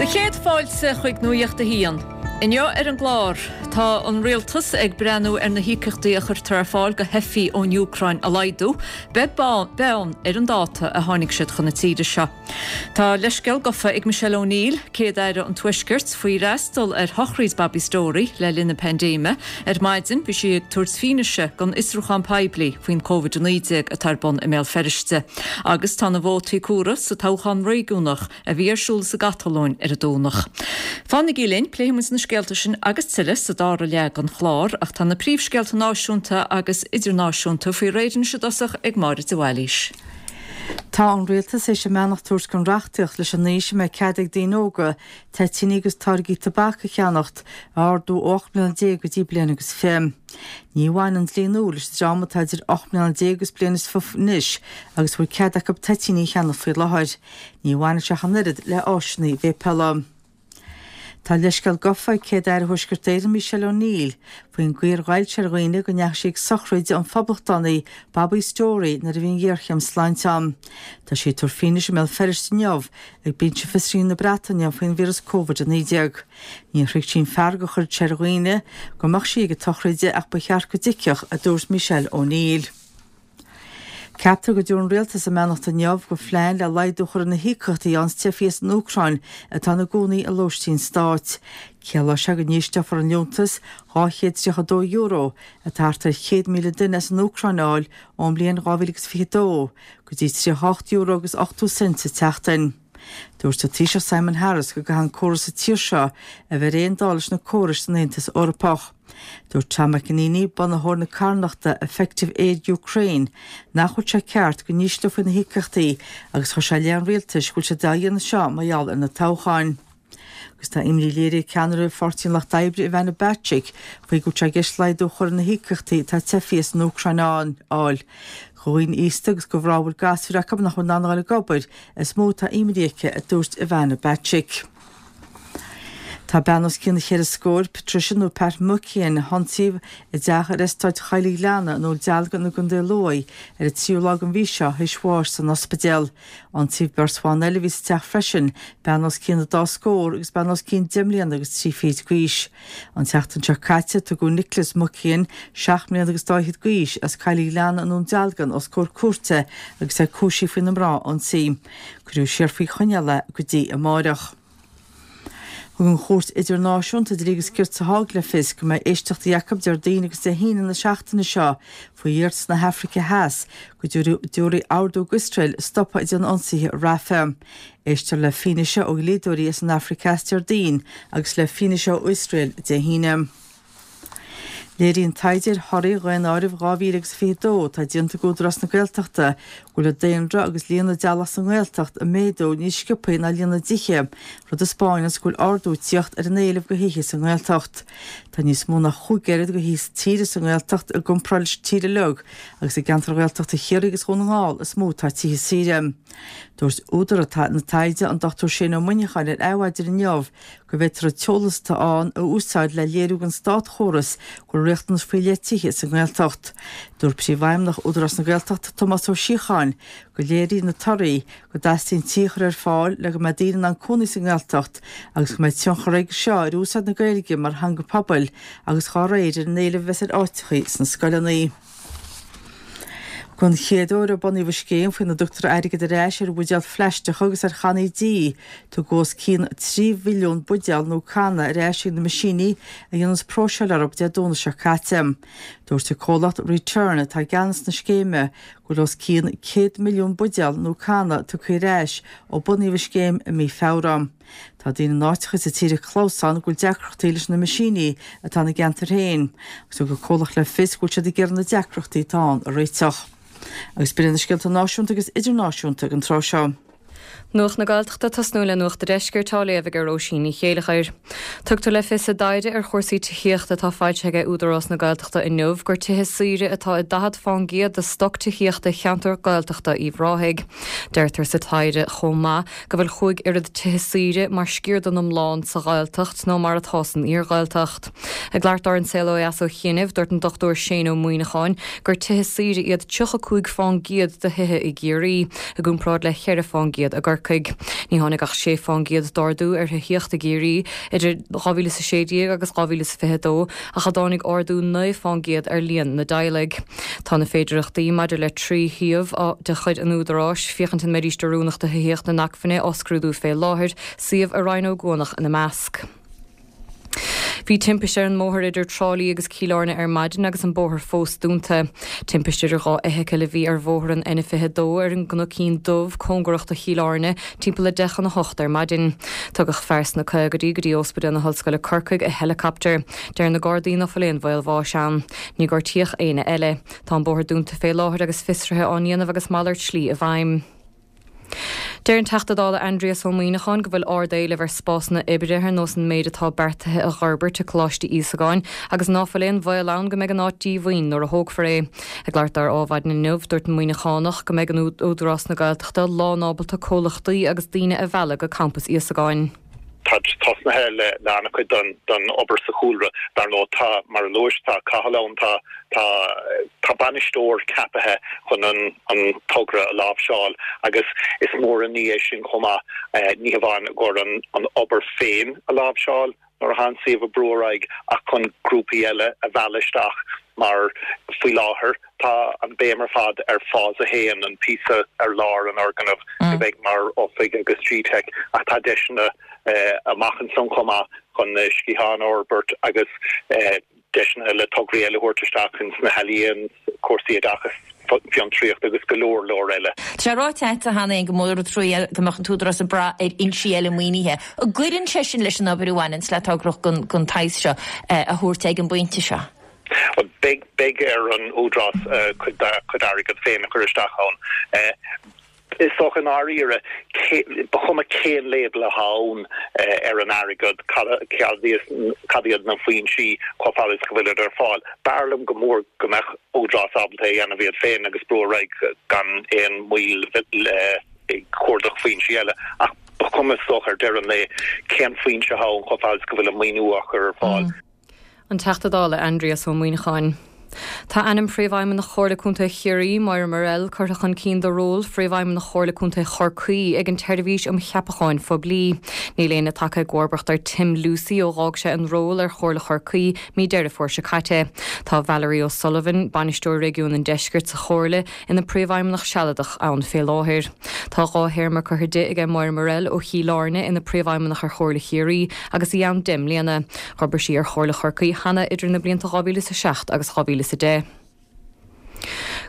Do chéad fáilte chuig Nuacht a hAon. Inniu ar an gclár, tá an rialtas ag breathnú ar na híocaíochtaí a chuirtear ar fáil do theifigh ón Úcráin a laghdú, beag beann ar an dáta a tháinig siad chun na tíre seo. Tá leithscéal gafa ag Michelle O'Neill, Céad-Aire an Tuaiscirt, faoi fhreastal ar shochraid Bobby Storey le linn na paindéime. Ar maidin bhí sí ag tabhairt fianaise don fhiosrúchán poiblí faoin Covid-19 atá ar bun i mBéal Feirste. Agus tá na vótaí comhairthe sa toghchán réigiúnach a bhí ar siúl sa gCatalóin ar an Domhnach. Fanaigí linn, pléifidh muid na scéalta sin agus tuilleadh sa dara leath den chlár, ach tá na príomhscéalta náisiúnta agus idirnáisiúnta faoi réir anois i dtosach ag Máire de Bhailís. Tá an Rialtas théis a mbeannacht a thabhairt don reachtaíocht leis an aois a mbeidh cead ag daoine óga toitíní agus táirgí tobac a cheannacht a ardú ó 18 mbliana go dtí bliain agus 20. Ní bhaineann an dlí nua leis an dream atá idir 18 mbliana agus bliain is 20 anois agus a bhfuil cead acu toitíní a cheannacht faoi láthair. Ní bhaineann sé ach an oiread le áiseanna véipeála. Tá leithscéal gafa ag Céad-Aire Thuaisceart Éireann Michelle O'Neill faoin gcaoi ar ghoill sé ar dhaoine go ndeachaigh sí ag sochraid an phoblachtánaí Bobby Storey nuair a bhí an ghéarchéim sláinte ann. Tá sí ag tabhairt fianaise i mBéal Feirste inniu ag Binse Fiosraithe na Breataine faoin víreas Covid-19. Ní thréigfeadh sí an fearg a chuir sé ar dhaoine go mbeadh sí ag an tsochraid ach ba cheart go dtuigfeadh, a dúirt Michelle O'Neill. Ceaptar go dtabharfaidh an Rialtas a mbeannacht inniu do phlean le laghdú a chur ar na híocaíochtaí a fhaigheanns teifigh as an Úcráin atá ina gcónaí i lóistín stáit. Ciallóidh sé go n-ísleofar an liúntas €232, atá thart ar 100,000 duine as an Úcráin a fháil ón mbliain 2022, go dtí €38 agus 80 cent sa tseachtain. Dúirt an Taoiseach Simon Harris go gcaithfidh an córas sa tír seo a bheith ar aon dul leis na córais san Aontas Eorpach. Dúirt Tom McEneaney, bunaitheoir na carthanachta Effective Aid Ukraine, nach bhfuil sé ceart go n-ísleofaí na híocaíochtaí agus chuir sé i leith an rialtais go bhfuil siad á dhéanamh seo mar gheall ar na toghcháin. Agus tá imní léirithe ag ceannaire Pháirtí an Lucht Oibre Ivana Bacik faoi go bhfuil sé i gceist laghdú a chur ar na híocaíochtaí atá teifigh as an Úcráin a fháil. Do dhaoine aosta agus do mhná a bhfuil gasúir acu nach bhfuil in ann a dhul ag obair is mó atá imní aici, a dúirt Ivana Bacik. Tá bean os cionn cheithre scóir, Patricia nó Pat Muckian, a hionsaíodh i dteach ar eastáit Choill an Ghleanna i nDún Dealgan i gContae Lú ar an tríú lá den mhí seo théis bháis san ospidéal. Ionsaíodh beirt bhan eile a bhí sa teach freisin, bean os cionn an dá scór agus bean os cionn deich mbliana agus trí fichid d'aois. An tseachtain seo caite, tugadh Nicholas Muckian, seacht mbliana agus dá fhichid d'aois, as Coill an Ghleanna i nDún Dealgan os comhair cúirte agus é cúisithe faoi na mná a ionsaí. Cuireadh siar faoi choinneáil é go dtí amáireach. Thug an Chúirt Idirnáisiúnta Dlí agus Cirt sa Háig le fios go mbeidh éisteachtaí acu Déardaoin agus Dé hAoine na seachtaine seo faoi iarratas na hAfraice Theas go dtabharfaí ordú d'Iosrael stopadh ag déanamh ionsaithe ar Rafah. Éistfear le fianaise ó dhlíodóirí as an Afraic Theas Déardaoin agus le fianaise ó Iosrael Dé hAoine. Léiríonn taighde ar thorthaí Dhaonáireamh 2022 atá déanta ag Údarás na Gaeltachta go bhfuil an daonra agus líon na dteaghlach sa nGaeltacht ag méadú níos sciobthaí ná líon na dtithe, rud a 'spáineanns go bhfuil ardú ag tíocht ar an éileamh do thithe sa nGaeltacht. Tá níos mó ná chúig oiread de thithe saoire sa nGaeltacht i gcomparáid leis an tír uilig agus i gceantair Ghaeltachta Chiarraí agus Dhún na nGall is mó atá tithe saoire. Dúirt údar na taighde, an Dr Shane Ó Muineacháin ar Adhmhaidin inniu, go bhféadfar an t-eolas atá ann a úsáid le léiriú don státchóras go bhfuil riachtanas faoi leith tithe sa nGaeltacht. Dúirt Príomhfheidhmeannach Údarás na Gaeltachta, Tomás Ó Síocháin, go léiríonn na torthaí go dteastaíonn tithe a chur ar fáil le go mbeidh daoine in ann cónaí sa nGaeltacht agus go mbeidh tionchar aige seo ar úsáid na Gaeilge mar theanga pobail agus dá réir ar an éileamh a bheas ar áiteachaí sna scoileanna. Don chéad uair ó bunaíodh an scéim faoina dtugtar airgead ar ais ar bhuidéil phlaisteacha agus ar channaí dí, tugadh os cionn 3 mhilliún buidéal nó canna ar ais chuig na meaisíní a dhéananns próiseáil orthu Dé Domhnaigh seo caite. Dúirt an comhlacht Return, atá i gceannas na scéime, go bhfuil os cionn 100 milliún buidéal nó canna tugtha ar ais ó bunaíodh an scéim i mí Feabhra. Tá daoine in áiteacha sa tír ag clamhsán go bhfuil deacrachtaí leis na meaisíní atá ina gceantar féin, agus thug an comhlacht le fios go bhfuil siad ag iarraidh na deacrachtaí atá ann a réiteach. Agus b'in iad na scéalta náisiúnta agus idirnáisiúnta ag an tráth seo. Nuacht na Gaeltachta, Tosnú le Nuacht an Deiscirt á léamh ag Róisín Ní Chéileachair. Tugtar le fios i dtaighde ar chúrsaí tithíochta atá foilsithe ag Údarás na Gaeltachta inniu gur tithe saoire atá i 40 fán gcéad de stoc tithíochta cheantar Gaeltachta Uíbh Ráthaigh. Deirtear sa taighde chomh maith go bhfuil chúig oiread tithe saoire mar sciar den iomlán sa Ghaeltacht ná mar atá san iarGhaeltacht. Ag labhairt dó ar An Saol Ó Dheas ó chianaibh, dúirt an Dr Shane Ó Muíneacháin gur tithe saoire iad 35 fán gcéad de thithe i gCiarraí, i gcomparáid le 4 fán gcéad i gCorcaigh. Corcaigh. Ní tháinig ach 6 fán gcéad d'ardú ar thithíocht i gCiarraí idir 2016 agus 2022 ach a dtáinig ardú 9 fán gcéad ar líon na dteaghlaigh. Tá na féidearthachtaí maidir le 3 shuíomh de chuid an Údaráis, féachaint an mbeidís oiriúnach do thithíocht inacmhainne, á scrúdú fé láthair, suíomh i Rinn Ó gCuanach ina measc. Bhí timpiste ar an mbóthar idir Trá Lí agus Cill Airne ar maidin agus an bóthar fós dúnta. Timpiste idir dhá fheithicil a bhí ar bhóthar an N22 ar an gCnoicín Dubh, cóngarach do Chill Airne, timpeall a 10 chun 8 ar maidin. Tugadh fear sna caogaidí go dtí Ospidéal na hOllscoile Corcaigh i heileacaptar. Deir na Gardaí ná fuil aon bhaol bháis ann. Ní gortaíodh éinne eile. Tá an bóthar dúnta fé láthair agus fiosruithe á ndéanamh agus malairt slí i bhfeidhm. Deir an Teachta Dála Aindrias Ó Muimhneacháin go bhfuil ard-éileamh ar spásanna oibre ar nós an méid atá beartaithe a dh'fhorbairt i Coláiste Íosagáin agus ná fuil aon bhaol ann go mbeidh an áit díomhaoin nuair a thógfar é. Ag labhairt dó ar Ádhmhaidin inniu, dúirt an Muimhneachánach go mbeidh an Údarás na Gaeltachta lánábalta comhlachtaí agus daoine a mhealladh go Campas Íosagáin. Tá tosnaithe le an-chuid den obair sa chúlra. Dar ndóigh, tá, mar a luais, tá Cathal ann, tá, tá, tá bainisteoir ceapaithe chun an, an togra a láimhseáil agus is mór an ní é sin chomh maith, ní hamháin i gcomhair an, an obair féin a láimhseáil nuair atá an suíomh ag brú ar aghaidh ach chun grúpaí eile a mhealladh isteach mar faoi láthair, Tá an béim ar fad ar Phase 1, an píosa ar lár an fhoirgnimh a bheidh mar oifig agus GTeic, ach tá deiseanna amach ansan chomh maith chun sciatháin a fhorbairt agus deiseanna le tograí eile a thabhairt isteach ins na healaíon, cúrsaí oideachais, fiontraíocht agus go leor leor eile. Tá sé ráite agat cheana féin gur mór an trua go mbeadh an tÚdarás ag brath ar fhoinsí eile maoinithe. An gcuireann sé sin leis an obair a bhaineanns le togra den tsaghas seo a thabhairt ag an bpointe seo? Beidh, beidh ar an Údarás cuid dá chuid airgead féin a chur isteach ann. Is dócha i ndáiríre, ba chuma cén label atá ann ar an airgead, cad iad na foinsí, chomh fada is go bhfuilid ar fáil. B'fhearr liom go mór go mbeadh Údarás ábalta é a dhéanamh iad féin agus brú ar aghaidh gan aon mhoill ag cuardach foinsí eile. Ach ba chuma is dócha ar deireadh an lae cén foinse atá ann chomh fada is go bhfuil an maoiniú á chur ar fáil. An Teachta Dála Aindrias Ó Muimhneacháin. Tá ainm Phríomhfheidhmeannach Chomhairle Contae Chiarraí, Moira Murrell, curtha chun cinn do ról Phríomhfheidhmeannach Chomhairle Contae Chorcaí ag an tSeirbhís um Cheapacháin Phoiblí. Níl éinne tagtha i gcomharbacht ar Tim Lucey ó dh'fhág sé an ról ar Chomhairle Chorcaí mí Deireadh Fómhair seo caite. Tá Valerie O'Sullivan, Bainisteoir Réigiún an Deiscirt sa Chomhairle, ina Príomhfheidhmeannach sealadach ann fé láthair. Tá 2 théarma curtha di aige Moira Murrell ó Chill Airne ina Príomhfheidhmeannach ar Chomhairle Chiarraí agus í ann 10 mbliana. Dh'obair sí ar Chomhairle Chorcaí cheana idir na blianta 2007 agus 2010.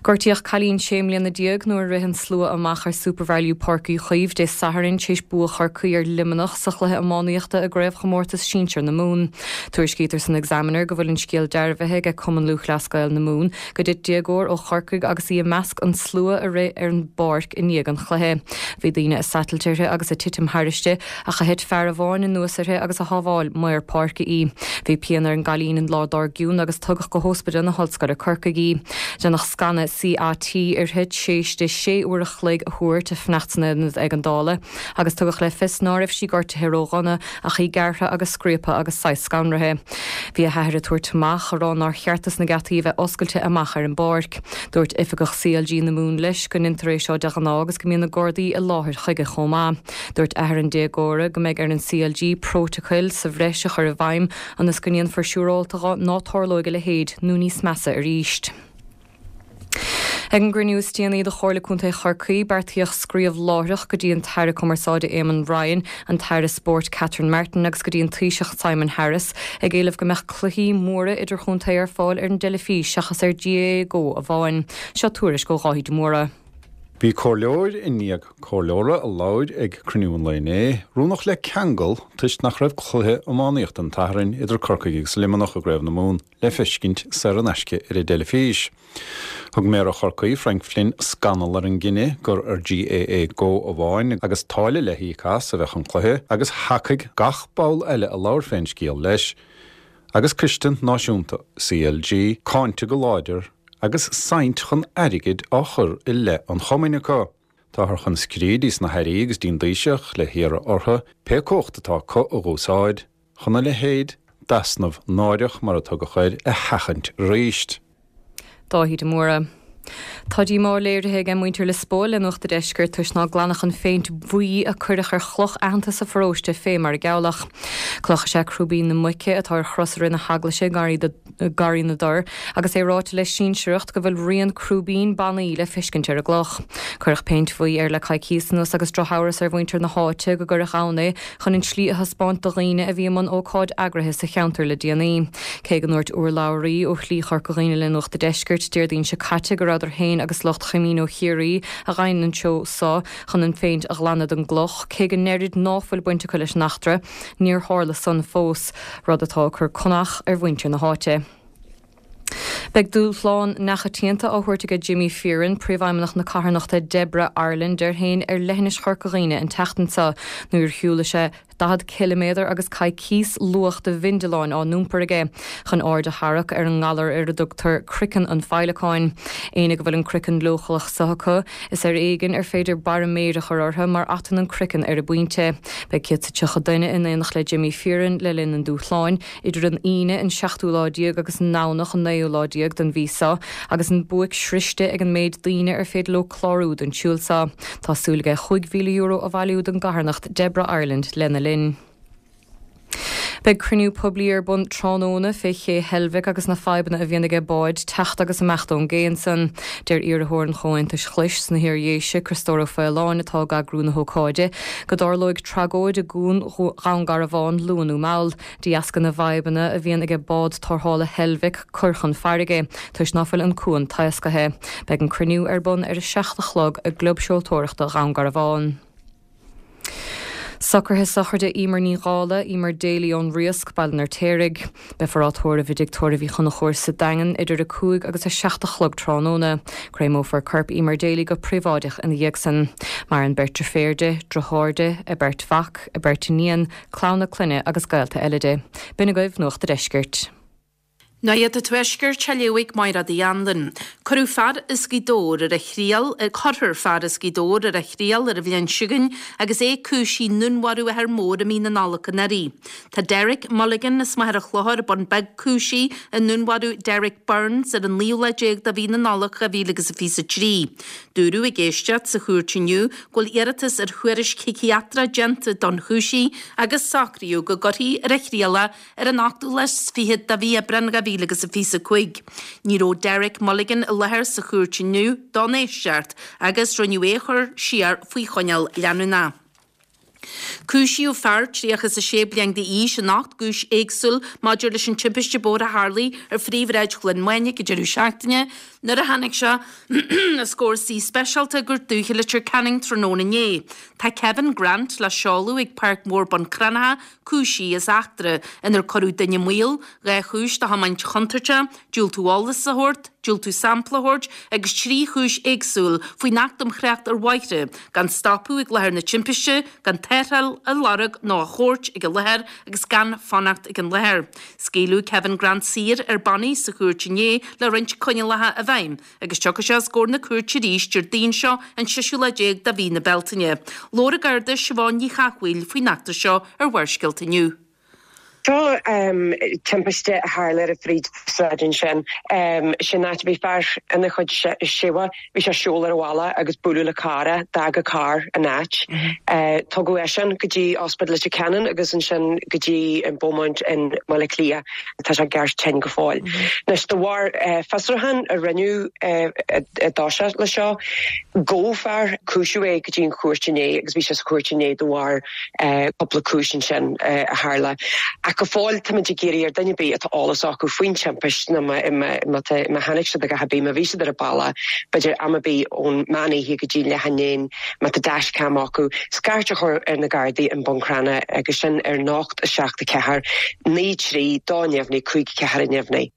Gortaíodh cailín 16 mbliana nuair a rith an slua amach ar Supervalu Páirc Uí Chaoimh Dé Sathairn tar éis bua Chorcaí ar Luimneach sa chluiche iománaíochta i gCraobhchomórtas Sinsir na Mumhan. Tuairiscítear san Examiner go bhfuil an scéal dearbhaithe aige Cumann Lúthchleas Gael na Mumhan go dtit déagóir ó Chorcaigh agus í i measc an tslua a rith ar an bpáirc i ndiaidh an chluiche. Bhí daoine ag satailt uirthi agus ag titim thairisti ach a thit fear amháin anuas uirthi agus a shábháil maor páirce í. Bhí pian ar an gcailín an lá dár gcionn agus tugadh go hÓspidéal na hOllscoile Corcaigh í. Déanadh scanadh CAT uirthi tréis di sé uair a chloig a thabhairt ag fanacht san aonad éigeandála agus tugadh le fios ná raibh sí gortaithe ró-dhona ach í gearrtha agus scríobtha agus saghas scanraithe. Bhí a hathair ag tabhairt amach a rá nár cheart dos na geataí a bheith oscailte amach ar an bpáirc. Dúirt oifigeach CLG na Mumhan leis go ndeintear é seo de ghnáth agus go mbíonn na Gardaí i láthair chuige chomh maith. Dúirt athair an déagóra go mbeidh ar an CLG prótacail sa bhreis a chur i bhfeidhm ionas go ndéanfar siúrálta dhe ná tarlóidh a leithéid nó níos measa arís. Ag an gcruinniú is déanaí de Chomhairle Contae Chorcaí, beartaíodh scríobh láithreach go dtí an tAire Cumarsáide Eamon Ryan, an tAire Spóirt Catherine Martin agus go dtí an Taoiseach Simon Harris ag éileamh go mbeadh cluichí móra idirchontae ar fáil ar an dteilifís seachas ar GAA Go amháin. Seo tuairisc ó Dháithí de Mórdha. Bhí comhairleoir i ndiaidh comhairleora a labhair ag cruinniú an lae inné, rúnach le ceangal toisc nach raibh cluiche iománaíochta an tSathairn idir Corcaigh agus Luimneach i gCraobh na Mumhan le feiscint saor in aisce ar an dteilifís. Thug Méara Chorcaí, Frank Flynn, scannal ar an gcinneadh gur ar GAA Go amháin agus táille le híoc as a bheadh an cluiche agus thacaigh gach ball eile a labhair fén scéal leis agus Coiste Náisiúnta CLG cáinte go láidir agus saint chun airgid á chur i leith an chumainn acu. Táthar chun scríobh dtí sna hairí agus dtí'n dTaoiseach le hiarraidh orthu pé cumhacht atá acu a dh'úsáid chun a leithéid d'easnamh náireach, mar a tugadh air, a sheachaint aríst. Dáithí de Mórdha. Tá díomá léirithe age muintir Lios Póil le Nuacht a' Deiscirt toisc ná glanadh an phéint bhuí a cuireadh ar chloch aitheanta sa pharóiste fé mar a gealladh. Cloch is ea Crúibín na Muice atá ar chros i rith na heaglaise i nGarraí na dTor agus é ráite le sinsearacht go bhfuil rian crúibín bannaí le feiscint ar an gcloch. Cuireadh péint bhuí air le coicíos anuas agus drochamhras ar mhuintir na háite go gcuireadh ann é chun an tslí a thaispeáint do dhaoine a bhí i mbun ócáid eagraithe sa cheantar le déanaí. Cé go ndúirt urlabhraí ó Shlí Chorca Dhuibhne le Nuacht a' Deiscirt Déardaoin seo caite go rabhadar féin agus lucht Chamino Chiarraí a dh'fhaigheann an seó so chun an phéint a ghlanadh den gcloch, cé go ndeirid ná fuil baint acu leis an eachtra, níor tharla san fós, rud atá ag cur conach ar mhuintir na háite. Beidh dúshlán neachoitianta á thabhairt aige Jimmy Fearon, Príomhfheidhmeannach na carthanachta Debra Ireland air féin ar leithinis Chorca Dhuibhne an tseachtain seo nuair a shiúlfaidh sé 40 ciliméadar agus coicíos luach de bhindealáin á n-iompar aige chun aird a tharrac ar an ngalar ar a dtugtar 'craiceann an féileacáin'. Éinne go bhfuil an craiceann leochaileach so acu, is ar éigin ar féidir barra méire a chur orthu mar atann an craiceann ar an bpointe. Beidh 130 duine in éineacht le Jimmy Fearon le linn an dúshláin, idir an Aoine an seachtú lá déag agus an nDomhnach an naoú lá déag den mhí seo, agus an buaic sroiste ag an méid daoine ar féidir leo clárú don tsiúl seo. Tá súil aige €5,000 a bhailiú don gcarthanacht Debra Ireland lena linn. Beidh cruinniú poiblí ar bun tráthnóna fé ché Heilbhic agus na fadhbanna a bhíonn aige báid teacht agus imeacht ón gcé ansan. Deir iarrthóir an Chomhaontais Ghlais sna hIar-Dhéise, Criostóir Ó Faoláin, atá ag eagrú na hócáide, go dtarlóidh tragóid i gCuan Dhún Garbhán luath nó mall, de dheasca na bhfadhbanna a bhíonn aige bád tarrthála Heilbhic cur chun farraige, toisc ná fuil an cuan taoscaithe. Beidh an cruinniú ar bun ar a 7 a chlog i gClub Seoltóireachta Dhún Garbhán. Socruithe sochraide Emer Ní Dhála, Emer Daly ón Riasc, Baile an Fheirtéaraigh. Beifear á tórramh i dTigh Tórraimh Uí Chonchúir sa Daingean idir 5 agus 7 a chlog tráthnóna. Créamófar corp Emer Daly go príobháideach ina dhiaidh san. Maireann beirt deirféar di, driotháir di, a beirt mhac, a beirt iníon, clann a clainne agus gaolta eile di. B'in agaibh Nuacht a' Deiscirt. Nuacht an Tuaiscirt á léamh ag Máiréad Uí Anluain. Cuireadh fear as Gaoth Dobhair ar a thriail, cuirfear fear as Gaoth Dobhair ar a thriail ar an bhliain seo chugainn agus é cúisithe i ndúnmharú athar mór i mí na Nollag anuraidh. Tá Derek Mulligan as Machaire Chlochair, Bun Beag cúisithe i ndúnmharú Derek Burns ar an naoú lá déag de mhí na Nollag 2023. Dúradh ag éisteacht sa chúirt inniu go bhfuil iarratas ar thuairisc shíciatrach déanta don chúisí agus socraíodh go gcuirfí ar a thriail é Ar an ochtú lá is fichead de mhí Aibreán 2025, ní raibh Derek Mulligan i láthair sa chúirt inniu don éisteacht agus rinneadh é a chur siar faoi choinneáil leanúnach. Cúisíodh fear 36 bliain d'aois in 8 gcúis éagsúil maidir leis an timpiste bóthair a tharlaigh ar phríomhshráid Chluain Mainiach ag deireadh seachtaine nuair a tháinig sé os comhair suí speisialta i gCúirt Dúiche Leitir Ceanainn tráthnóna inné. Tá Kevin Grant le seoladh ag Páirc Mhór Bun Cranncha cúisithe as eachtra inar cuireadh duine i mbaol, 2 chúis de thiomáint chontúirteach, diúltú eolas a thabhairt, diúltú sampla a thabhairt agus 3 chúis éagsúil faoin Acht um Thrácht ar Bhóithre, gan stopadh ag láthair na timpiste, gan tarrtháil a lorg nó a thabhairt ag an láthair agus gan fanacht ag an láthair. Scaoileadh Kevin Grant saor ar bannaí sa chúirt inné le roinnt coinníollacha i bhfeidhm. Agus tiocfaidh sé os comhair na cúirte arís Déardaoin seo an seisiú lá déag de mhí na Bealtaine. Labhair an Garda Siobhán Ní Chathmhaoil faoin eachtra seo ar Bharrscéalta inniu. Seo timpiste a tharla ar an phríomhshráid ansin. Sin áit a bhí fear ina chuid seomha. Bhí sé ag siúl ar a bhaile agus buaileadh le carr é. D'fhág an carr an áit. Tugadh eisean go dtí Ospidéal Leitir Ceanainn agus ansin go dtí an Beaumont in mBaile Átha Cliath. Tá sé ceart tinn go fóill. Anois, de bharr fiosrúchán a rinneadh i dtosach le seo, gabhadh fear, cúisíodh é go dtí an chúirt inné agus bhí sé sa chúirt inné de bharr cúpla cúis ansin a tharla. Ach go fóill táimid ag iarraidh ar duine ar bith atá eolas acu faoin timpist nó má chonaic siad a dhath ar bith, má bhí siad ar an bealach, b'fhéidir am ar bith ón meán oíche go dtí leath i ndiaidh a haon, Má tá dashcam acu, scairt a chur ar na Gardaí i mBun Cranncha agus sin ar 0 7 4 9 3 2 neamhní 5 4 neamhní.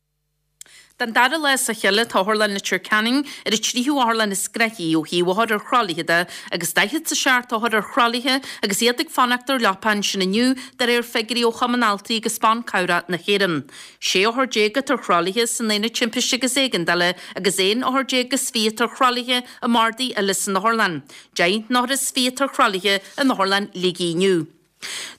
Den dara lá as a chéile tá Otharlann Leitir Ceanainn ar an tríú otharlann is gnoithí ó thaobh othar ar thralaithe de agus 47 othar ar thralaithe agus iad ag fanacht ar leapa ansin inniu de réir figiúirí ó Chumann Altraí agus Ban Cabhrach na hÉireann. 16 othar atá ar thralaithe san Aonad Timpiste agus Éigeandála agus 11 othar is 20 atá ar thralaithe i mbardaí eile san otharlann. 10 n-othar is 20 atá ar thralaithe in Otharlann Shligigh inniu.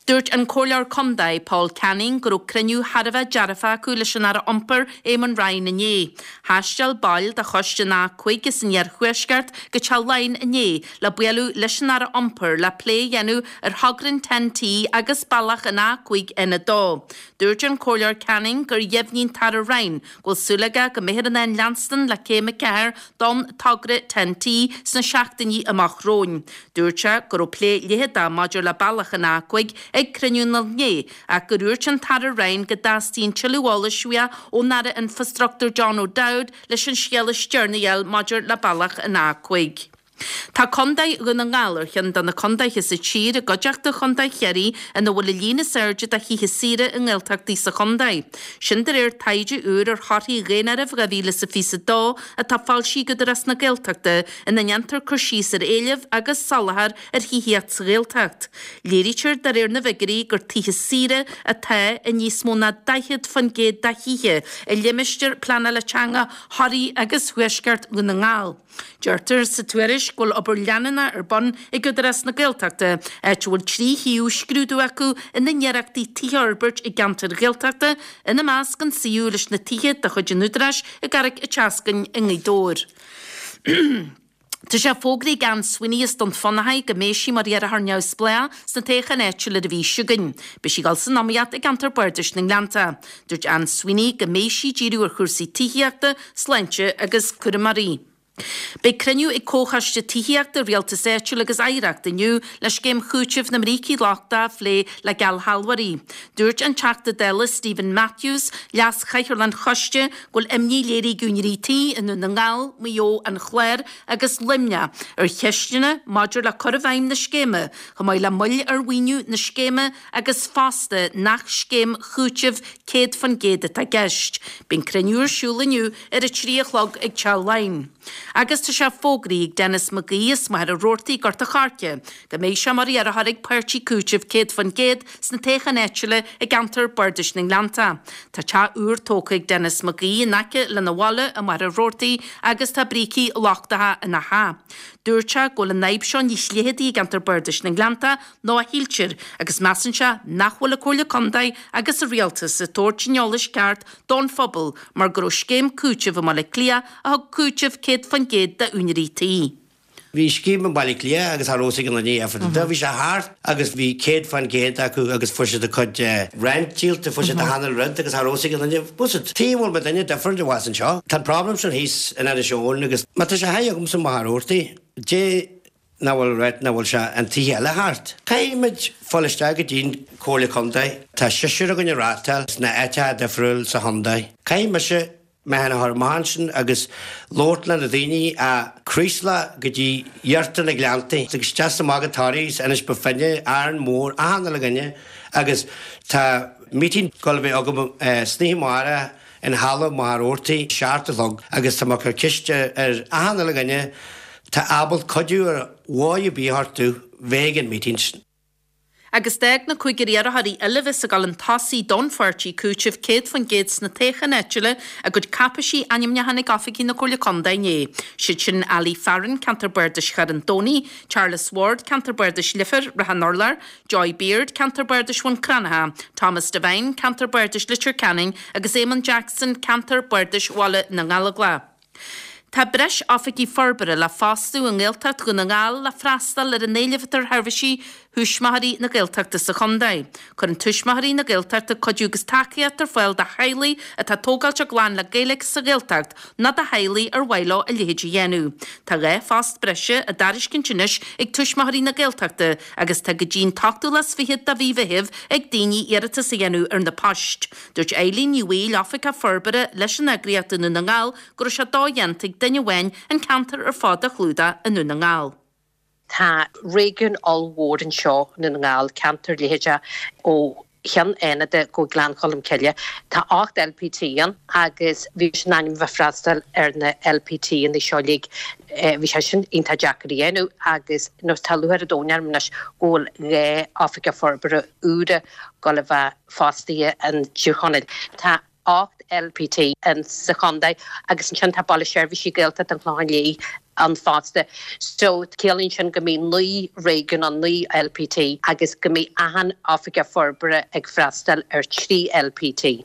Dúirt an Comhairleoir Contae, Paul Canning, go raibh cruinniú thar a bheith dearfach acu leis an Aire Iompair, Eamon Ryan inné. Thaisteal baill de choiste an A5 as an Iarthuaisceart go Teach Laighean inné le bualadh leis an Aire Iompair le plé a dhéanamh ar thogra an TEN-T agus bealach an A5 N2. Dúirt an Comhairleoir Canning gur dheimhnigh an tAire Ryan go bhfuil súil aige go mbeifear in ann leanstan le Céim 4 don togra TEN-T sna seachtainí amach romhainn. Dúirt sé go raibh plé leitheadach maidir le bealach an A5 ag cruinniú an lae inné ach gur dhúirt an tAire Ryan go dteastaíonn tuilleadh eolais uaidh ón Aire Infreastruchtúir John O'Dowd leis an scéal is deireanaí a fháil maidir le bealach an A5. Tá Contae Dhún na nGall ar cheann de na contaetha sa tír, i gcuideachta Chontae Chiarraí, ina bhfuil an líon is airde de thithe saoire i nGaeltachtaí sa chontae. Sin de réir taighde úr ar thorthaí Dhaonáireamh 2022 atá foilsithe ag Údarás na Gaeltachta ina ndéantar cur síos ar éileamh agus soláthar ar thithíocht sa Ghaeltacht. Léirítear de réir na bhfigiúirí gur tithe saoire atá i níos mó ná 40% de thithe i limistéar pleanála teanga Thoraí agus Thuaisceart Dhún na nGall. Deirtear sa tuairisc go bhfuil obair leanúnach ar bun ag Údarás na Gaeltachta, áit a bhfuil 3 shuíomh á scrúdú acu ina n-iarrachtaí tithe a fhorbairt i gceantair Ghaeltachta, ina measc an suíomh leis na tithe de chuid an Údaráis i gCarraig an tSeascainn i nGaoth Dobhair. Tá sé fógraithe ag Anne Sweeney as Dún Fionnachaidh go mbeidh sí mar iarrthóir neamhspleách sna toghcháin áitiúil ar an mhí seo chugainn. Beidh sí ag dul san iomaíocht i gceantar Bardais na nGleannta. Dúirt Anne Sweeney go mbeidh sí ag díriú ar chúrsaí tithíochta, sláinte agus cúramóirí. Beidh cruinniú ag Comhchoiste Tithíochta, Rialtais Áitiúil agus Oidhreachta inniu le scéim chúitimh na mbrící lochtacha a phlé le geallshealbhóirí. Dúirt an Teachta Dála Steven Matthews, Leas-Chathaoirleach an choiste, go bhfuil imní léirithe ag úinéirí tí i nDún na nGall, Maigh Eo, An Clár agus Luimneach ar cheisteanna maidir le cur i bhfeidhm na scéime, chomh maith le moill ar mhaoiniú na scéime agus fosta nach scéim chúitimh 100% atá i gceist. Beidh an cruinniú ar siúl inniu ar a 3 a chlog ag Teach Laighean. Agus tá sé fógraithe ag Denis McGee as Machaire Rabhartaigh, Gort a' Choirce, go mbeidh sé mar iarrthóir ag Páirtí Cúitimh 100% sna toghcháin áitiúla i gceantar Bardais na nGleannta. Tá teach úr tógtha ag Denis McGee in aice lena bhaile i Machaire Rabhartaigh agus tá brící lochtacha ina theach. Dúirt sé go bhfuil an fhadhb seo níos leitheadaí i gceantar Bardais na nGleannta ná a shíltear agus measann sé nach bhfuil an Comhairle Contae agus an Rialtas ag tabhairt an eolais ceart don phobal mar go raibh scéim cúitimh i mBaile Átha Cliath a thug cúiteamh 100% d'úinéirí tí. Bhí scéim i mBaile Átha Cliath agus cha raibh fhios ag aon duine é. Bhí sé thart agus bhí 100% acu agus fuair siad a cuid rent díolta, fuair siad achan uile rud agus cha raibh fhios ag aon duine. Bhuel, tuige a bhfuil muidinne different i bhfad anseo. Tá an problem sin thíos in Inis Eoghain agus má tá sé high agamsa i Machaire Rabhartaigh, dé nach bhfuil right nach bhfuil sé an tithe eile thart. Caithfidh muid fáil isteach go dtí'n Comhairle Contae. Tá seisear againn ag reáchtáil sna áiteacha difriúil sa chontae. Caithfidh mise mé féin a chur amach ansin agus labhairt le na daoine ó Chraoslach go dtí iarthar na Gleanntaí agus isteach is amach go Toraigh is Inis Bó Finne, Árainn Mhór, achan uile dhuine agus tá meeting ag dul a bheith agam san oíche amárach in halla Mhachaire Rabhartaigh, 7 a chlog agus tá mé ag cur ceist ar achan uile dhuine tá ábalta cuidiú ar dhóigh ar bith orthu bheith ag an meeting sin. Agus d'fhág na cúigear iarrthóirí eile a bheas ag dul chun tosaigh don pháirtí Cúiteamh 100% sna toghcháin áitiúla a gcuid cáipéisí ainmniúcháin ag oifigí na Comhairle Contae inné. Siad sin Ali Farren, Ceantar Bardais Charn an Domhnaigh, Charles Ward, Ceantar Bardais Leifear, Ráth an Urláir, Joy Beard, Ceantar Bardais Bhun Cranncha, Thomas Devine, Ceantar Bardais Leitir Ceanainn, agus Éamonn Jackson, Ceantar Bardais Bhaile na nGallóglach. Tá breis oifigigh forbartha le fostú i nGaeltacht Dhún na nGall le freastal ar an éileamh atá ar sheirbhísí Thuismitheoirí na Gaeltachta sa chontae. Cuireann Tuismitheoirí na Gaeltachta cuidiú agus tacaíocht ar fáil do theaghlaigh atá ag tógáilt a gclann le Gaeilge sa Ghaeltacht nó do theaghlaigh ar mhaith leo a leithéid a dhéanamh. Tá 2 phost breise á dtairiscint anois ag Tuismitheoirí na Gaeltachta agus tá go dtí an t-ochtú lá is fichead de mhí Mheithimh ag daoine iarratas a dhéanamh ar na poist. Dúirt Eileen Ní Bhaoill, Oifigeach Forbartha leis an eagraíocht i nDún na nGall, go raibh sé dodhéanta ag duine amháin an ceantar ar fad a chlúdach i nDún na nGall. Tá réigiún ollmhór anseo i nDún na nGall, ceantar leitheadach ó Cheann Fhánada go Gleann Cholm Cille. Tá 8 LPT ann agus bhí mise in ainm a bheith freastal ar na LPT-anna seo uilig. Bhí sé sin iontach deacair a dhéanamh agus tá lúcháir an domhain orm anois go bhfuil 2 oifigeach forbartha úra ag dul a bheith fostaithe in Tír Chonaill. Tá. 8 LPT in sa chontae agus ansin tá Baile Seirbhísí Gaeltacht an Chlocháin Léith ann fosta. So ciallaíonn sin go mbeidh 9 réigiún ann, 9 LPT, agus go mbeidh achan oifigeach forbartha ag freastal ar 3 LPT.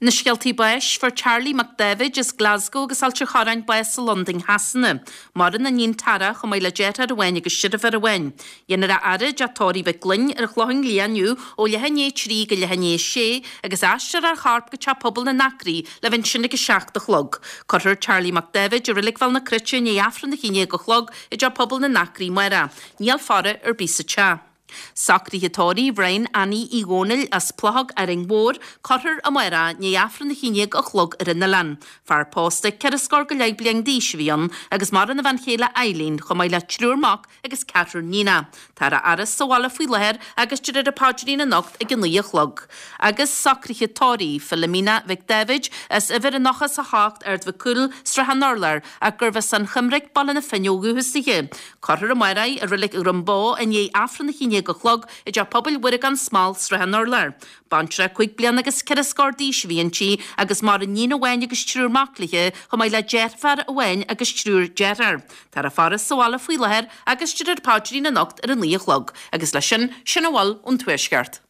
Na scéaltaí báis, Fuair Charlie Mac Dáibhid as Glasgow agus Ailt an Chorráin bás i Londain Shasana. Maireann a iníon Tara chomh maith le deartháir amháin agus deirfiúr amháin. Dhéanfar a fhaire i dteach tórraimh Mhic Gloinn ar an Chlochán Liath inniu ó leath i ndiaidh 3 go leath i ndiaidh 6 agus aistreofar a chorp go Teach Pobail na nAcraí le bheith ansin ag 7 a chlog. Cuirfear Charlie Mac Dáibhid i Reilig Bhéal na Cruite i ndiaidh Aifreann a 11 a chlog i dTeach Pobail na nAcraí amárach. Níl faire ar bith sa teach. Socruithe tórraimh Bhrian Annie Uí Dhónaill as Plochóg Árainn Mhór, cuirfear amárach i ndiaidh Aifreann 11 a chlog ar an oileán. Fear pósta ceithre scór go leith bliain d'aois a bhí ann agus maireann a bhean chéile Eileen chomh maith le triúr mac agus ceathrar níonach. Táthar á fhaire sa bhaile faoi láthair agus déarfar an paidrín anocht ag a 9 a chlog. Agus socruithe tórraimh Philomena Mhic Dáibhid as uimhir a 98 Ard Mhic Cumhaill, Srath an Urláir, ach gurbh as an Choimric, Baile na Finne ó dhúchas dithe. Cuirfear amárach í i Reilig Dhroim Bó i ndiaidh Aifreann 11 a chlog i dTeach Pobail Mhuire gan Smál, Srath an Urláir. Baintreach 5 bliana agus ceithre scór d'aois a bhí inti agus maireann iníon amháin agus triúr mac léi, chomh maith le deirfiúr amháin agus triúr dearthár. Táthar á faire sa bhaile faoi láthair agus déarfar paidrín anocht ar a 9 a chlog. Agus leis sin, sin a bhfuil ón Tuaisceart.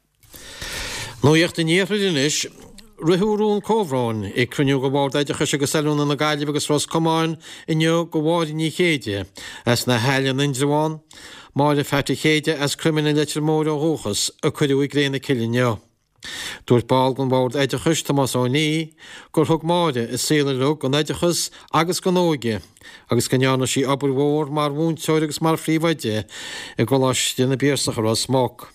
Nuacht an Iarthair anois. Ritheadh rún comhbhróin ag cruinniú de Bhord Oideachais agus Oiliúna na Gaillimhe agus Ros Comáin inniu do Mháire Ní Chéide as na hAille in Indreabhán, Máire Pheaití Chéide as Croimlinn i Leitir Móir ó dhúchas, a cuireadh i gcré na cille inniu. Dúirt ball den Bhord Oideachais, Tomás Ó Nia, gur thug Máire a saol uilig don oideachas agus don óige agus go ndearna sí obair mhór mar mhúinteoir agus mar phríomhoide i gColáiste na bPiarsach i Ros Muc.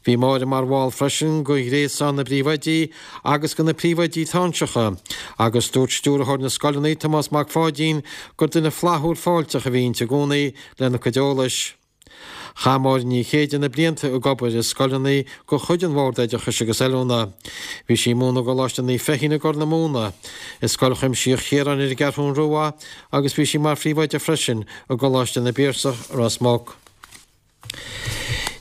Bhí Máire mar bhall freisin de Ghréasán na bPríomhoidí agus de na Príomhoidí Táinseacha agus dúirt Stiúrthóir na Scoileanna, Tomás Mac Pháidín, gur duine flaithiúil fáilteach a bhí inti i gcónaí lena cuid eolais. Chaith Máire Ní Chéide na blianta ag obair i scoileanna de chuid an Bhoird Oideachais agus Oiliúna. Bhí sí ag múineadh i gColáiste Naomh Feichín i gCorr na Móna, i Scoil Chuimsitheach Chiaráin ar an gCeathrún Rua agus bhí sí mar phríomhoide freisin i gColáiste na bPiarsach, Ros Muc.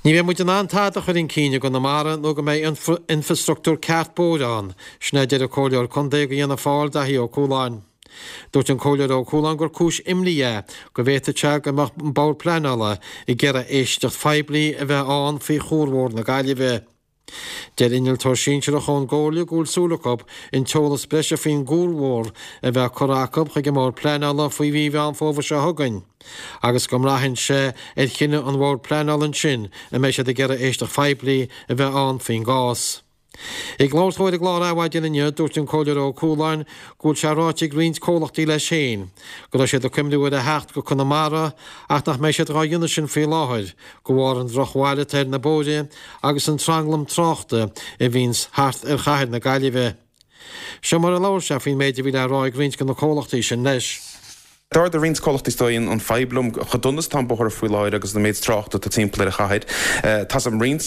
Ní bheidh muid in ann tada a chur chun cinn i gConamara nó go mbeidh infreastruchtúr ceart bóithre ann, sin é a deir an Comhairleoir Contae do Fhianna Fáil, Daithí Ó Cualáin. Dúirt an Comhairleoir Ó Cualáin gur cúis imní é go bhféadfadh sé go mbeadh an Bord Pleanála ag iarraidh éisteacht phoiblí a bheith ann faoi Chuarbhóthar na Gaillimhe. Deir innealtóir sinsearach ón gComhairle go bhfuil súil acu an t-eolas breise faoin gcuarbhóthar a bheith curtha acu chuig an mBord Pleanála faoi mhí Mheán Fómhair seo chugainn agus go mbraitheann sé ar chinneadh an Bhoird Pleanála ansin an mbeidh siad ag iarraidh éisteacht phoiblí a bheith ann faoin gcás. Ag labhairt dó ar an gclár Adhmhaidin inniu, dúirt an Comhairleoir Ó Cualáin go bhfuil sé ráite ag roinnt comhlachtaí leis féin go raibh siad ag cuimhniú ar a theacht go Conamara ach nach mbeidh siad dhá dhéanamh sin faoi láthair de bharr an drochbhail atá ar na bóithre agus an tranglam tráchta a bhíonns thart ar chathair na Gaillimhe. Seo mar a labhair sé faoin méid a bhí le rá ag roinnt de na comhlachtaí sin leis. D'ardaigh roinnt comhlachtaí is dóigh an fadhb liom, chomh dona is atá an bóthar faoi láthair agus an méid tráchta atá timpeall ar an chathair. Tá's agam roinnt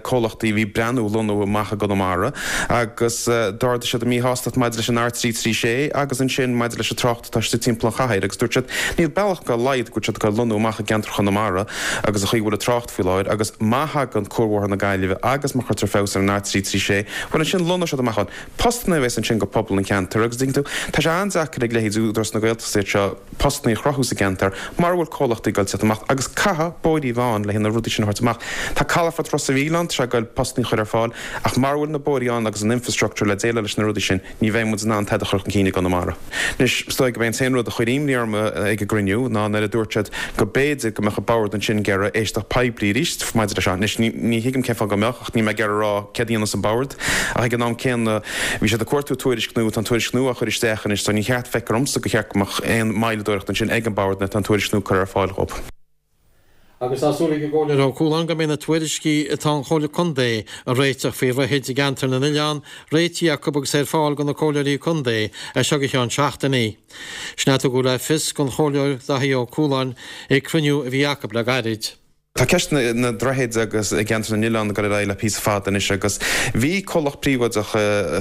comhlachtaí a bhí ag breathnú lonnú amach i gConamara agus d'ardaigh siad a míshástacht maidir leis an R336 agus ansin maidir leis an trácht atá istigh timpeall an chathair agus dúirt siad níl bealach dá laghad go bhfuil siad ag dul lonnú amach i gceantar Chonamara agus an chaoi a bhfuil an trácht faoi láthair agus má thagann Cuarbhóthar na Gaillimhe agus má chuirtear feabhas ar an R336 bhuel ansin lonnóidh siad amach ann. Postanna a bheas ansin go pobal an cheantair agus tuigeann tú, tá sé an-deacair ag leithéid Údarás na Gaeltachta iad seo postanna a chruthú sa gceantar mara bhfuil comhlachtaí ag dul teacht amach agus caithfidh bóithrí a bheith ann le haghaidh na rudaí sin a thabhairt amach. Tá calafort Ros a' Mhíl ann, tá sé ag dul postanna a chur ar fáil ach mara bhfuil na bóithrí ann agus an infrastructure le déileáil leis na rudaí sin, ní bheidh muid in ann tada a chur chun cinn i gConamara. Anois, is dóigh gurb é an t-aon rud a chuir imní orm ag an gcruinniú ná nuair a dúirt siad go b'fhéidir go mbeadh an bord ansin ag iarraidh éisteacht poiblí arís maidir leis seo. Anois, ní thuigim cén fáth go mbeadh, ach níl mé ag iarraidh a rá céard a dhéanfas an bord. Ach ag an am céanna, bhí siad ag cuartú tuairisc nua, tá an tuairisc nua á chur isteach anois, so ní cheart, feictear dhomsa, gur cheart go mbeadh aon moilleadóireacht ansin ag an bord nuair atá an tuairisc nua curtha ar fáil dhóibh. Agus tá súil ag an gComhairleoir Ó Cualáin go mbeidh na tuairiscí atá an Chomhairle Contae a réiteach faoi dhroichid i gceantar na n-oileán réitithe acu agus ar fáil do na Comhairleoirí Contae as seo go ceann seachtainí. Sin a tugadh le fios don Chomhairleoir Daithí Ó Cualáin ag cruinniú a bhí acu le gairid. Tá ceist na ndroichead agus i gceantar na nOileán ag dul ar aghaidh le píosa fada anois agus bhí comhlacht príobháideach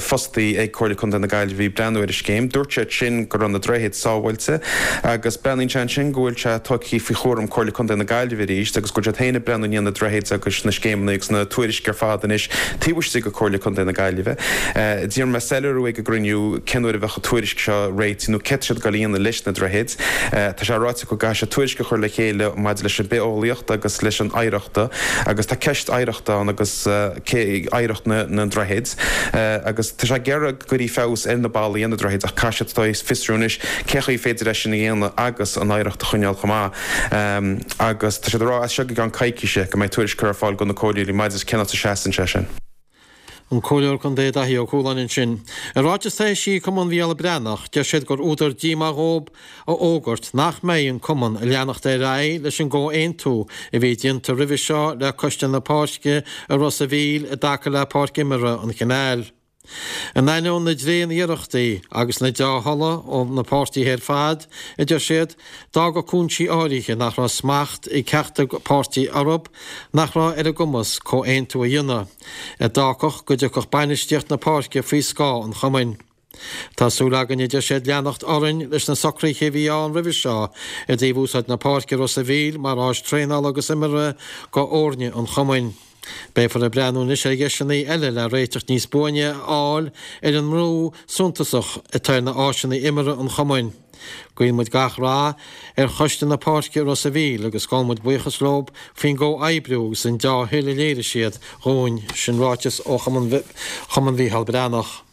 fostaí ag Comhairle Contae na Gaillimhe a bhí ag breathnú ar an scéim. Dúirt siad sin go raibh na droichid sábháilte agus breathnaíonn sé ansin go bhfuil sé tugtha faoi chúram Comhairle Contae na Gaillimhe arís agus go bhfuil siad féin ag breathnú i ndiaidh na droichid agus na scéimeanna agus na tuairisc ar fad anois taobh istigh de Comhairle Contae na Gaillimhe. D'iarr mé soiléiriú ag an gcruinniú cén uair a bheadh an tuairisc seo réitithe nó céard tá siad ag dul a dhéanamh leis na droichid. Tá sé ráite go gcaithfidh siad tuairisc a chur le chéile maidir leis an bithéolaíocht agus leis an oidhreachta agus tá ceist oidhreachta ann agus cé oidhreacht na ndroichead agus tá sé ag iarraidh go gcuirfí feabhas ar na ballaí ar na droichid ach caithfidh siad fiosrú anois cén chaoi féidir é sin a dhéanamh agus an oidhreacht a choinneáil chomh maith agus tá siad ag rá as seo go gceann coicíse go mbeidh tuairisc curtha ar fáil do na comhairleoirí maidir le cén áit a seasann sé sin. An Comhairleoir Contae Daithí Ó Cualáin ansin. I ráiteas atá eisithe ag Cumann Mhícheál Breathnach, deir siad gur údar díomá dhóib a fhógairt nach mbeidh an Cumann ag leanacht ar aghaidh leis an gcomhaontú a bhí déanta roimhe seo le Coiste na Páirce i Ros a' Mhíl i dtaca le Páirc Imeartha an Chanáil. In ainneoin na dtréan-iarrachtaí agus na deá-thola ó na páirtithe ar fad, a deir siad, d'fhága cúinsí áirithe nach raibh smacht ag ceachtar páirtí orthu nach raibh ar a gcumas comhaontú a dhéanamh a d'fhágfadh go dtiocfadh bainistíocht na páirce faoi scáth an chumainn. Tá súil againn, a deir siad, leanacht orainn leis na socruithe a bhí ann roimhe seo i dtaobh úsáid na páirce i Ros a' Mhíl mar áis traenála agus imeartha go fhoirne an chumainn. Beifear ag breathnú anois ar dheiseanna eile le réiteach níos buaine a fháil ar an mbrú suntasach atá ar na áiseanna imeartha an chumainn. Guíonn muid gach rath ar choiste na páirce i Ros a' Mhíl agus gabhann muid buíochas leo faoin gcomhoibriú agus an deá-thoil a léirigh siad dhúinn, sin ráiteas ó Chumann Mhícheál Breathnach.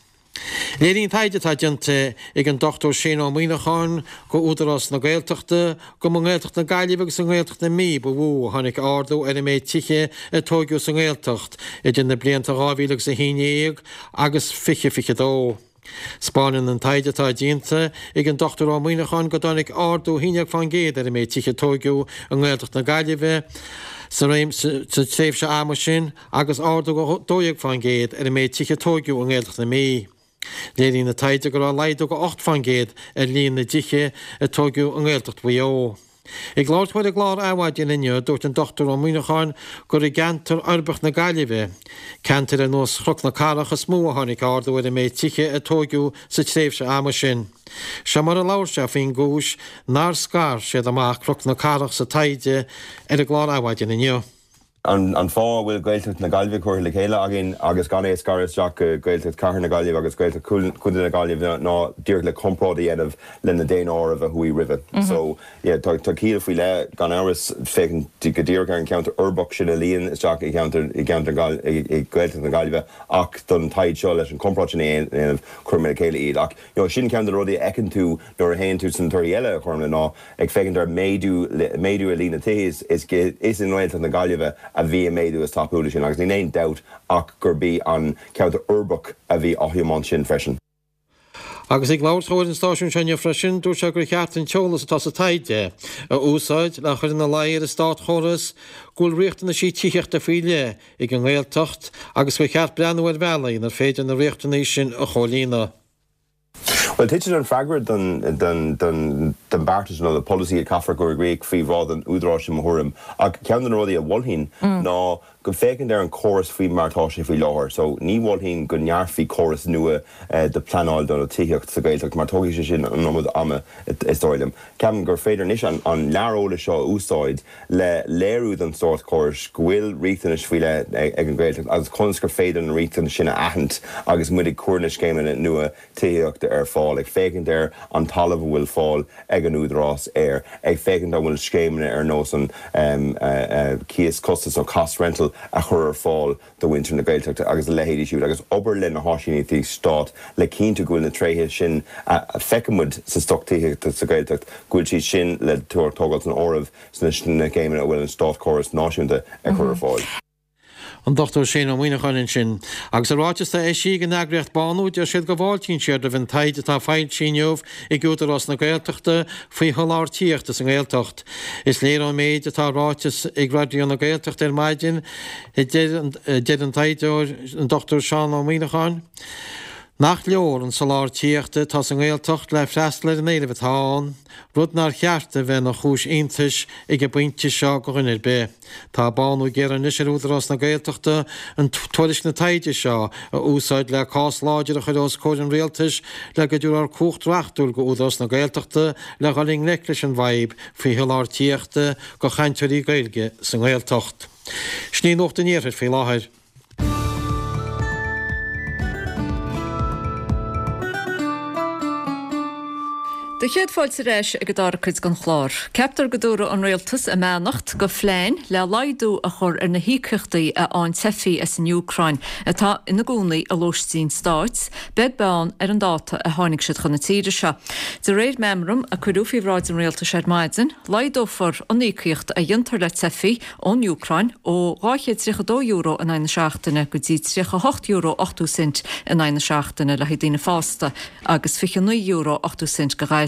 Léiríonn taighde atá déanta ag an Dr Shane Ó Muíneacháin go Údarás na Gaeltachta go mba i nGaeltacht na Gaillimhe agus i nGaeltacht na Mí ba mhó a tháinig ardú ar an méid tithe a tóigeadh sa nGaeltacht idir na blianta 2011 agus 2022. 'Spáineann an taighde atá déanta ag an Dr Ó Muíneacháin go dtáinig ardú 11% ar an méid tithe a tóigeadh i nGaeltacht na Gaillimhe sa tréimhse ama sin, agus ardú 12% ar an méid tithe a tóigeadh i nGaeltacht na Mí. Léiríonn an taighde go raibh laghdú 8% ar líon na dtithe a tóigeadh i nGaeltacht Mhaigh Eo. Ag labhairt dó ar an gclár Adhmhaidin inniu, dúirt an Dr Ó Muíneacháin gur i gceantar uirbeach na Gaillimhe, ceantair ar nós Chnoc na Cathrach, is mó a tháinig ardú ar an méid tithe a tóigeadh sa tréimhse ama sin. Seo mar a labhair sé faoin gcúis nár scar siad amach Cnoc na Cathrach sa taighde ar an gclár Adhmhaidin inniu. An fáth a bhfuil Gaeltacht na Gaillimhe curtha le chéile againn agus gan é a scaradh isteach go Gaeltacht Chathair na Gaillimhe agus Gaeltacht Chontae na Gaillimhe ná díreach le comparáid a dhéanamh le na daonáirimh a chuaigh roimhe. So, yeah, tá ciall faoi leith, gan amhras, féachaint go díreach ar an cheantar uirbeach sin a luíonn isteach i gceantar, i gceantar, i Gaeltacht na Gaillimhe ach don taighde seo leis an chomparáid sin a dhéanamh, chuir mé le chéile iad. Ach, you know, sin ceann de na rudaí a fheiceann tú nuair a théann tú sna torthaí eile a chuirim le ná, Ag féachaint ar méadú méadú i líon na tithe is is i nGaeltacht na Gaillimhe a bhí an méadú is tapúla sin agus níl aon dabht ach gurb í an ceantar uirbeach a bhí á thiomáint sin freisin. Agus ag labhairt dó ar an stáisiún seo inniu freisin, dúirt sé gur cheart an t-eolas atá sa taighde a úsáid le chur ina luí ar an státchóras go bhfuil riachtanaisí tithíochta faoi leith ag an nGaeltacht agus gur cheart breathnú ar bhealaí inar féidir na riachtanaí sin a chomhlíonadh. Bhuel, titeann an freagra don beartas nó do polasaí a caithfear a chur i gcrích faoi bhráid an Údaráis i mo thuairim. Ach ceann de na rudaí a mholfainn ná go féachaint ar an chóras faoi mar atá sé faoi láthair. So, ní mholfainn go ndearfaí córas nua de pleanáil do tithíocht sa Ghaeltacht mar tógfaidh sé sin an iomad ama is dóigh liom. Ceapaim gur féidir anois an lear eolais seo a úsáid le léiriú don státchóras go bhfuil riachtanais faoi leith ag an Ghaeltacht agus conas gur féidir na riachtanais sin a aithint agus muid ag cur na scéimeanna nua tithíochta ar fáil, ag féachaint ar an talamh a bhfuil fáil ag an Údarás air, ag féachaint an bhfuil scéimeanna ar nós an cíos costais nó cost rental a chur ar fáil do mhuintir na Gaeltachta agus a leithéidí siúd agus obair le na háisíneachtaí stáit le cinntiú go bhfuil na tréithe sin a feiceann muid sa stoc tithíochta sa Ghaeltacht, go bhfuil siad sin le tógáil san áireamh sna scéimeanna a bhfuil an státchóras náisiúnta ag cur ar fáil. An Dr Shane Ó Muíneacháin ansin. Agus i ráiteas atá eisithe ag an eagraíocht Bánú, deir siad go bhfáiltíonn siad roimh an taighde atá foilsithe inniu ag Údarás na Gaeltachta faoi sholáthar tithíochta sa nGaeltacht. Is léir ón méid atá ráite ag Raidió na Gaeltachta ar maidin, a deir an taighdeoir, an Dr Seán Ó Muíneacháin. Nach leor an soláthar tithíochta atá sa nGaeltacht le freastal ar an éileamh atá ann, rud nár cheart a bheith ina chúis iontais ag an bpointe seo go dhuine ar bith. Tá bánú ag iarraidh anois ar Údarás na Gaeltachta an tuairisc na taighde seo a úsáid le cás láidir a chur os comhair an Rialtais le go dtabharfar cumhacht reachtúil go Údarás na Gaeltachta le dhul i ngleic leis an bhfadhb faoi sholáthar tithíochta go chainteoirí Gaeilge sa nGaeltacht. Sin í Nuacht an Iarthair faoi láthair. Do chéad fáilte ar ais ag an dara cuid den chlár. Ceaptar go dtabharfaidh an Rialtas a mbeannacht go phlean le laghdú a chur ar na híocaíochtaí a fhaigheann teifigh as an Úcráin atá ina gcónaí i lóistín stáit, beag beann ar an dáta a tháinig siad chun na tíre seo. De réir meamram a cuireadh faoi bhráid an Rialtais ar maidin, laghdófar an íocaíocht a dhéantar le teifigh ón Úcráin ó €232 in aghaidh na seachtaine go dtí €38.80 in aghaidh na seachtaine le haghaidh daoine fásta agus €29.80 go ghasúir.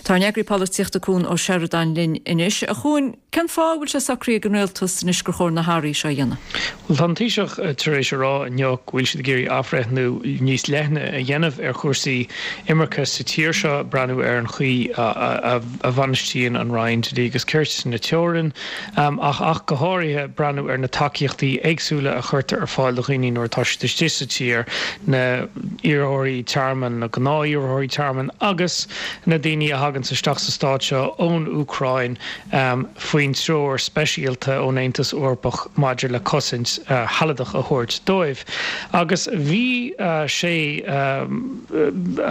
Tá ár n-eagraí polaitíochta Cuan Ó Seireadáin linn anois. A Chuain, cén fáth a bhfuil sé socraithe ag an Rialtas anois gur chóir na hathruithe seo a dhéanamh? Bhuel, tá an Taoiseach tar éis a rá inniu go bhfuil siad ag iarraidh athbhreithniú níos leithne a dhéanamh ar chúrsaí imirce sa tír seo, breathnú ar an chaoi a bhainistíonn an Roinn Dlí agus Cirt na teorainn ach ach go háirithe breathnú ar na tacaíochtaí éagsúla a chuirtear ar fáil do dhaoine nuair atá siad istigh sa tír, na hiarrthóirí tearmainn, na gnáth-iarrthóirí tearmainn agus na daoine a thaganns isteach sa stát seo ón Úcráin faoin treoir speisialta ón Aontas Eorpach maidir le cosaint shealadach a thabhairt dóibh. Agus bhí sé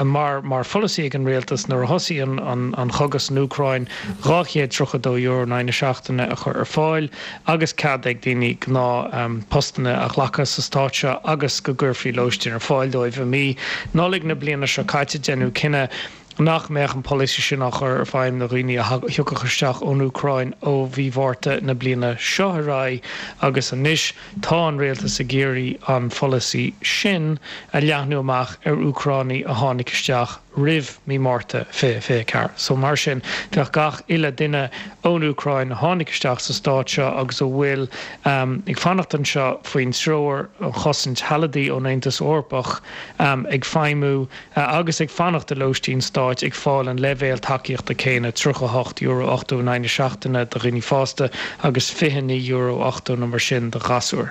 mar mar pholasaí ag an rialtas nuair a thosaigh an chogadh san Úcráin €232 in aghaidh na seachtaine a chur ar fáil agus cead ag daoine gnáth postanna a ghlacadh sa stát seo agus go gcuirfí lóistín ar fáil dóibh. I mí Nollag na bliana seo caite deineadh cinneadh nach mbeadh an polasaí sin á chur ar feidhm do dhaoine a thiocfadh isteach ón Úcráin ó mhí Mhárta na bliana seo ar aghaidh agus anois tá an rialtas ag iarraidh an pholasaí sin a leathnú amach ar Úcránaigh a tháinig isteach roimh mí Márta 2024. So mar sin bheadh gach uile duine ón Úcráin a tháinig isteach sa stát seo agus a bhfuil ag fanacht anseo faoin treoir um chosaint shealadaí ón Aontas Eorpach ag feidhmiú agus ag fanacht i lóistín stáit ag fáil an leibhéal tacaíochta céanna, €38.80 in aghaidh na seachtaine do dhaoine fásta agus €29.80 nó mar sin do ghasúir.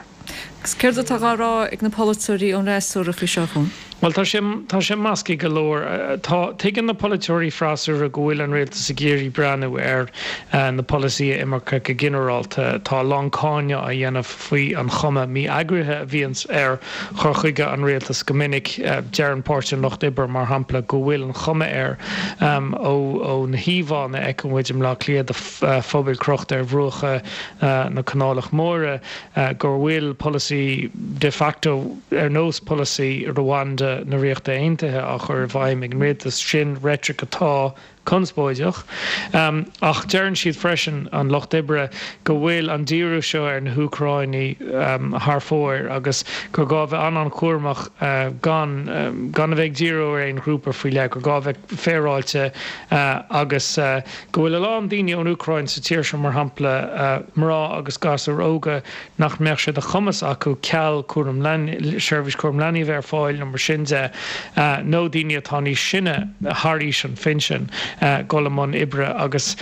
Agus céard atá á rá ag na polaiteoirí ón fhreasúra faoi seo, a Chuain? Bhuel, tá sé, tá sé measctha go leor. Tá, tuigeann na polaiteoirí freasúra go bhfuil an rialtas ag iarraidh breathnú ar na polasaithe imirce go ginearálta. Tá a lán cáineadh á dhéanamh faoi an chuma mí-eagraithe a bhíonns ar chur chuige an rialtais go minic. Deireann Páirtí an Lucht Oibre, mar shampla, go bhfuil an chuma air ó na híomhánna a fheiceann muid i mBleá Cliath de phubaill crochta ar bhruacha na Canálach Móire gur bhfuil polasaí de facto ar nós polasaí Rwanda na Ríochta Aontaithe á chur i bhfeidhm ag an rialtas. Sin reitric atá conspóideach. Ach deireann siad freisin, an Lucht Oibre, go bhfuil an díriú seo ar na hÚcráinigh thar fóir agus gur gá bheith an-an-chúramach gan gan a bheith ag díriú ar aon ghrúpa faoi leith, gur gá bheith féaráilte agus go bhfuil a lán daoine ón Úcráin sa tír seo, mar shampla mná agus gasúir óga, nach mbeadh sé de chumas acu ceal cúram leanaí, seirbhís cúram leanaí a bheith ar fáil nó mar sin de, nó daoine atá níos sine, thar aois an phinsin, dul i mbun oibre agus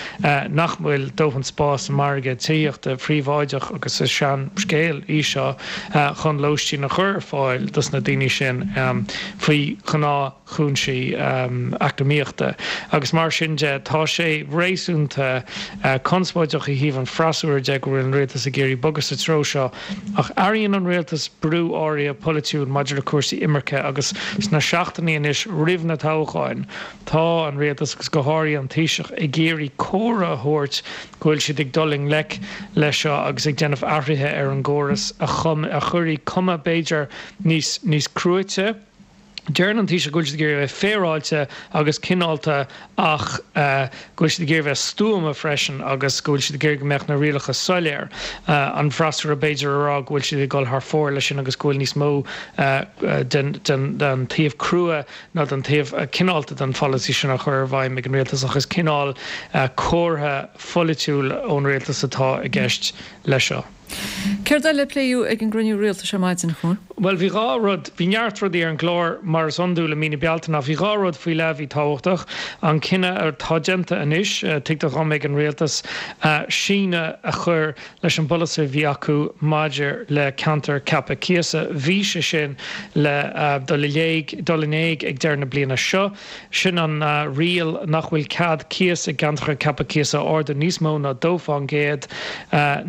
nach bhfuil dóthain spáis sa margadh tithíochta phríobháideach, agus is sean scéal í seo, chun lóistín a chur ar fáil dos na daoine sin faoi ghnáth. chúinsí eacnamaíochta agus mar sin de tá sé réasúnta conspóideach ó thaobh an freasúra de go bhfuil an rialtas ag iarraidh bogadh sa treo seo ach airíonn an rialtas brú áirithe polaitiúil maidir le cúrsaí imirce agus sna seachtainí anois roimh na toghcháin tá an rialtas agus go háirithe an Taoiseach ag iarraidh comhartha a thabhairt go bhfuil siad ag dul i ngleic leis seo agus ag déanamh athruithe ar an gcóras a chuirfidh cuma b'fhéidir níos níos cruaite Deireann an Taoiseach go bhfuil siad ag iarraidh a bheith féaráilte agus cineálta ach go bhfuil siad ag iarraidh a bheith stuama freisin agus go bhfuil siad ag iarraidh go mbeadh na rialacha soiléir. An freasúra b'fhéidir a rá go bhfuil siad ag dul thar fóir leis sin agus go bhfuil níos mó den taobh crua ná den taobh cineálta den pholasaí sin á chur i bhfeidhm ag an rialtas ach is cineál comhartha pholaitiúil ón rialtas atá i gceist leis seo. Céard eile a pléadh ag an gcruinniú rialtais ar maidin, a Chuain? Bhuel, bhí 2 rud, bhí neart rudaí ar an gclár mar is iondúil i mí na Bealtaine ach bhí 2 rud faoi leith a bhí tábhachtach. An cinneadh atá déanta anois, tuigtear dhom, ag an rialtas, síneadh a chur leis an bpolasaí a bhí acu maidir le ceantair ceaptha cíosa. Bhí sé sin le dul i léig, dul in éag ag deireadh na bliana seo. Sin an riail nach bhfuil cead cíos i gceantracha ceaptha cíosa a ardú níos mó ná 2%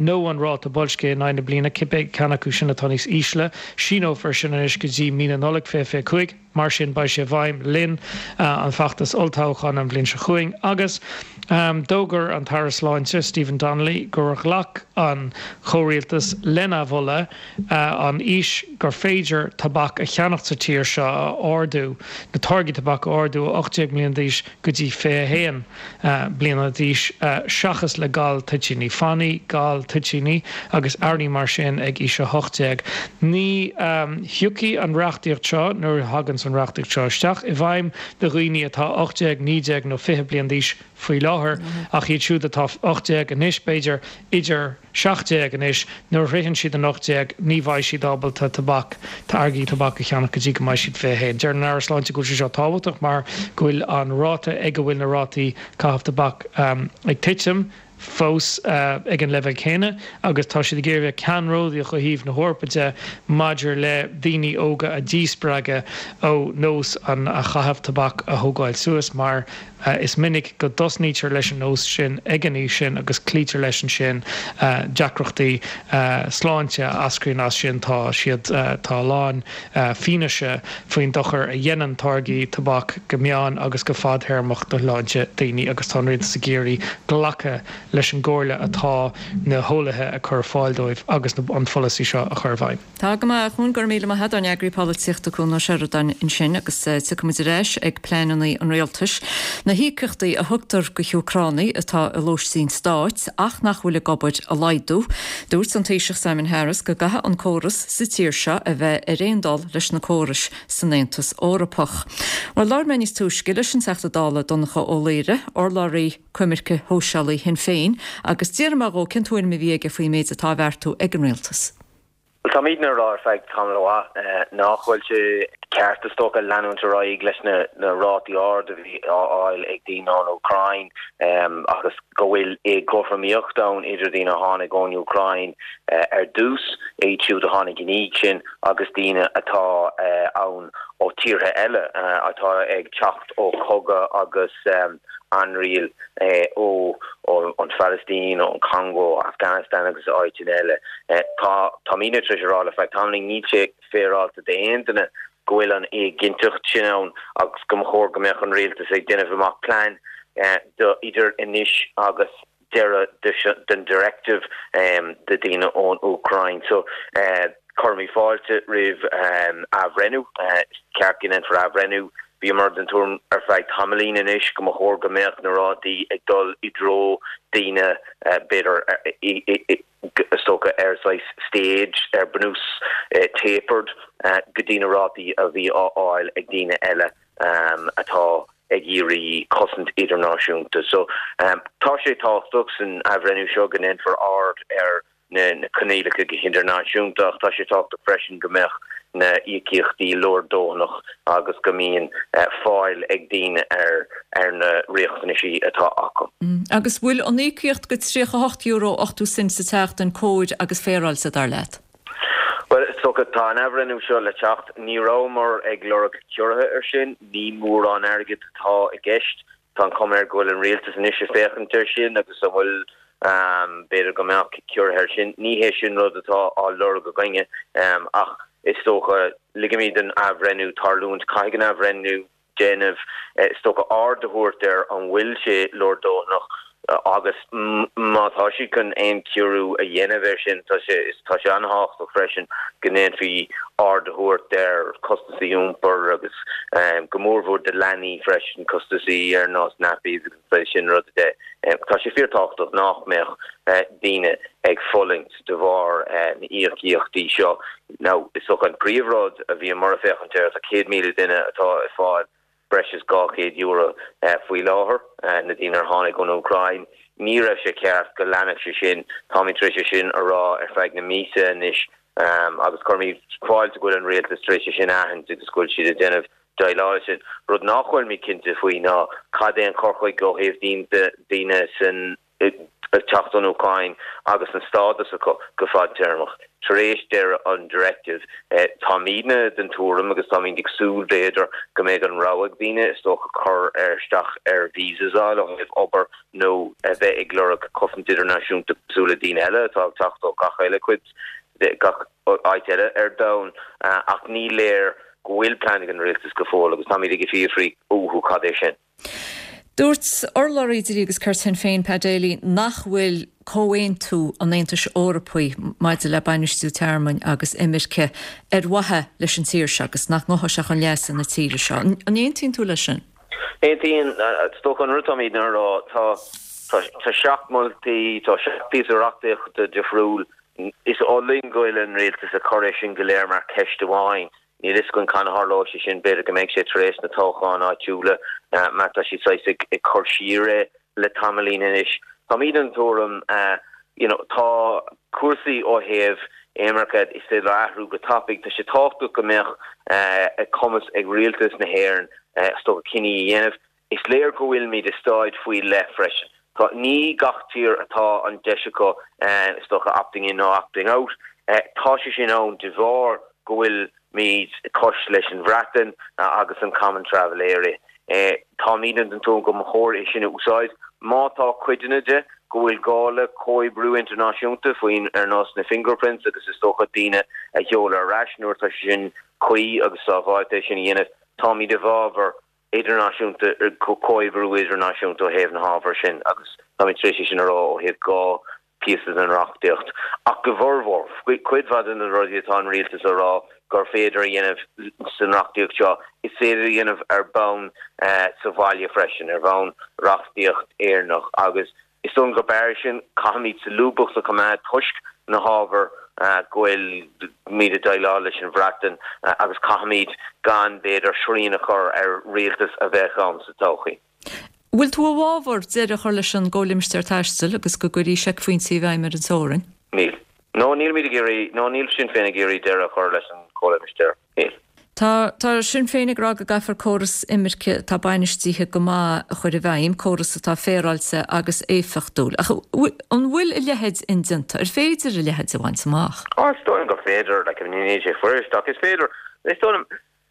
nó an ráta boilscithe in aghaidh na bliana, cibé ceann acu sin atá níos ísle. Síneofar sin anois go dtí mí na Nollag 2025. Mar sin, beidh sé i bhfeidhm le linn an feachtas olltoghcháin an bhliain seo chugainn. Agus d'fhógair an tAire Sláinte, Stephen Donnelly, gur ghlac an comhrialtas lena mholadh an aois gur féidir tobac a cheannacht sa tír seo a ardú, na táirgí tobac a ardú ó 18 mbliana d'aois go dtí 21 bliana d'aois, seachas le gal toitíní fanaí, gal toitíní agus earraí mar sin ag aois 18. Ní thiocfaidh an reachtaíocht seo, nuair a thaganns an reachtaíocht seo isteach, i bhfeidhm do dhaoine atá 18, 19 nó 20 bliain d'aois faoi láthair, ach iad siúd atá 18 anois, b'fhéidir, idir 17 anois, nuair a shroicheann siad an 18, ní bheidh siad ábalta tobac, táirgí tobac a cheannach go dtí go mbeidh siad 21. Deir an Aire Sláinte go bhfuil sé seo tábhachtach mar go bhfuil an ráta ag a bhfuil na rátaí caitheamh tobac ag titim fós ag an leibhéal céanna agus tá siad ag iarraidh a bheith ceannródaíoch ó thaobh na hEorpa de maidir le daoine óga a dhíspreagadh ó nós an chaitheamh tobac a thógáil suas mar Is minic go dtosnaítear leis an nós sin ag an aois sin agus cloítear leis ansin. Deacrachtaí sláinte a eascraíonn as sin, tá siad, tá a lán fianaise faoin dochar a dhéanann táirgí tobac go meán agus go fadtéarmach do shláinte daoine agus tá an Rialtas ag iarraidh glacadh leis an gcomhairle atá na heolaithe ag cur ar fáil dóibh agus an pholasaí seo a chur i bhfeidhm. Tá go maith, a Chuain, go raibh míle maith agat, ár n-eagraí polaitíochta Cuan Ó Seireadáin ansin agus tiocfaidh muid ar ais ag pleananna an rialtais, na híocaíochtaí a thugtar go hÚcránaigh atá i lóistín stáit ach nach bhfuil ag obair a laghdú. Dúirt an Taoiseach Simon Harris go gcaithfidh an córas sa tír seo a bheith ar aon dul leis na córais san Aontas Eorpach. Bhuel, labhair mé níos túisce leis an Teachta Dála Donncha Ó Laoghaire, urlabhraí coimirce shóisialaí Shinn Féin, agus d'fhiafraigh mé dhó cén tuairim a bhí aige faoin méid atá á bheartú ag an rialtas. Bhuel, táimidne ag rá ar feadh tamall mhaith nach bhfuil sé ceart, is dócha, leanúint ar aghaidh leis na rátaí arda a bhí á fháil ag daoine ón Úcráin agus go bhfuil éagothromaíocht ann idir daoine a tháinig ón Úcráin ar dtús, iad siúd a tháinig ina dhiaidh sin agus daoine atá ann ó tíortha eile atá ag teacht ó chogadh agus ainriail ó an Phalaistín, ón Congo, Afghanistan agus áiteanna eile. Tá, táimidne tar éis a rá le feadh tamaillín, níl sé féaráilte d'aon duine go bhfuil an éiginnteacht sin ann agus go mba chóir go mbeadh an rialtas ag déanamh amach plean do idir anois agus deireadh den directive do daoine ón Úcráin. So, cuirimid fáilte roimh athbhreithniú. Is ceart go ndéanfar athbhreithniú. Bhíomar den tuairim ar feadh tamaillín anois go mba chóir go mbeadh na rátaí ag dul i dtreo daoine b'fhéidir is dócha ar saghas stage, ar bunús tapered go dtí na rátaí a bhí á fháil ag daoine eile atá ag iarraidh cosaint idirnáisiúnta. So, tá sé tábhachtach san athbhreithniú seo go ndéanfar aird ar na coinníollacha go hidirnáisiúnta ach tá sé tábhachtach freisin go mbeadh na íocaíochtaí leordhóthanach agus go mbíonn fáil ag daoine ar ar na riachtanaisí atá acu. Agus bhfuil an íocaíocht go €38 80 cent sa tseachtain cóir agus féaráilte, dar leat? Bhuel, is dócha, tá an athbhreithniú seo le teacht. Ní rabhamar ag lorg ciorruithe ar sin. Ní mórán airgid atá i gceist. Tá an chuma air go bhfuil an rialtas anois ag féachaint air sin agus an bhfuil, b'fhéidir go mbeadh ciorruithe air sin. Ní hé sin rud atá á lorg againne ach is dócha, ligfimid don athbhreithniú tarlúint. Caithfidh an athbhreithniú déanamh, is dócha, aird a thabhairt ar an bhfuil sé leordhóthanach agus má tá siad chun aon chiorrú a dhéanamh air sin, tá sé tá sé an-thábhachtach freisin go ndéanfaí aird a thabhairt ar chostasaí iompair agus go mórmhór do leanaí freisin, costasaí ar nós nappies agus an saghas sin ruda de. Tá sé fíorthábhachtach nach mbeadh daoine ag fulaingt de bharr na n-íocaíochtaí seo. Now, is dócha an príomhrud a bhíomar ag féachaint air, tá 100,000 duine atá ag fáil breis is €200 faoi láthair, na daoine ar tháinig ón Úcráin. Ní raibh sé ceart go leanfadh sé sin. Táimid tar éis é sin a rá ar feadh na míosa anois agus cuirimid fáilte go bhfuil an rialtas tar éis é sin a aithint agus go bhfuil siad ag déanamh déileáil leis sin. Rud nach bhfuilimid cinnte faoi ná cad é an cur chuige ó thaobh daoine san ag teacht ón Úcráin agus an stádas acu go fadtéarmach. Tar éis deireadh an Directive, táimidne den tuairim agus táimid ag súil, b'fhéidir, go mbeidh an rogha ag daoine, is dócha, cur isteach ar visas a fháil ó thaobh obair nó a bheith ag lorg cosaint idirnáisiúnta cosúil le daoine eile atá ag teacht ó gach eile cuid de gach áit eile ar domhan. Ach ní léir go bhfuil plean ag an rialtas go fóill agus táimid ag fiafraí uathu cad é sin. Dúirt urlabhraí Dlí agus Cirt Shinn Féin, Pat Daly, nach bhfuil comhaontú an Aontais Eorpaigh maidir le bainistiú tearmainn agus imirce ar mhaithe leis an tír seo agus nach ngabhfaidh sé chun leasa na tíre seo. An aontaíonn tú leis sin? Aontaím. Is dócha an rud atáimidne a rá, tá tá seacht moltaí, tá seacht píosa reachtaíochta difriúil. Is oth linn go bhfuil an rialtas ag cur é sin go léir mar ceist amháin. Níl fhios againn cathain a tharlóidh sé sin, b'fhéidir go mbeidh sé tar éis na toghcháin áitiúla mar tá siad saghas ag cur siar é le tamaillín anois. Táimid den tuairim you know tá cúrsaí ó thaobh imirce is féidir leo athrú go tapaidh. Tá sé tábhachtach go mbeadh cumas ag rialtas na hÉireann is dócha cinní a dhéanamh. Is léir go bhfuilimid i staid faoi leith freisin. Tá, ní gach tír atá an deis acu, is dócha, opting in nó opting out. Tá sé sin ann de bharr go bhfuilimid cois leis an Bhreatain agus an Common Travel Area. Táimidne den tuairim go mba chóir é sin a úsáid. Má tá cuideanna de go bhfuil gá le comhoibriú idirnáisiúnta faoin ar nós na fingerprints agus is dócha daoine a sheoladh ar ais nuair atá sé sin cuí agus sábháilte é sin a dhéanamh, táimid i bhfabhar idirnáisiúnta, comhoibriú idirnáisiúnta ó thaobh na hábhair sin agus táimid tar éis é sin a rá ó thaobh dhá phíosa den reachtaíocht. Ach go bhformhór, cuid mhaith de na rudaí atá an rialtas a rá gur féidir a dhéanamh san reachtaíocht seo, is féidir a dhéanamh ar bhonn sa bhaile freisin, ar bhonn reachtaíocht Éireannach agus Is dóigh liom gurb fhearr sin. Caithfimid solúbthacht a choimeád toisc na hábhair go bhfuilimid ag déileáil leis an Bhreatain agus caithfimid gan, b'fhéidir, srian a chur ar rialtas a bheadh ann sa todhchaí. Bhfuil tú i bhfabhar deireadh a chur leis an gComhlimistéar Taistil agus go gcuirfí seicphointí i bhfeidhm ar an teorainn? Níl. No, nílimid ag iarraidh, no, níl Sinn Féin ag iarraidh deireadh a chur leis an Chomhlimistéar. Níl. Tá, tá Sinn Féin ag rá go gcaithfear córas imirce atá bainistithe go maith a chur i bhfeidhm, córas atá féaráilte agus éifeachtúil. Ach an bhfuil a leithéid indéanta? Ar féidir a leithéid a bhaint amach? Á, is dóigh liom gur féidir, like, I mean, níl sé fuirist ach is féidir. Is dóigh liom,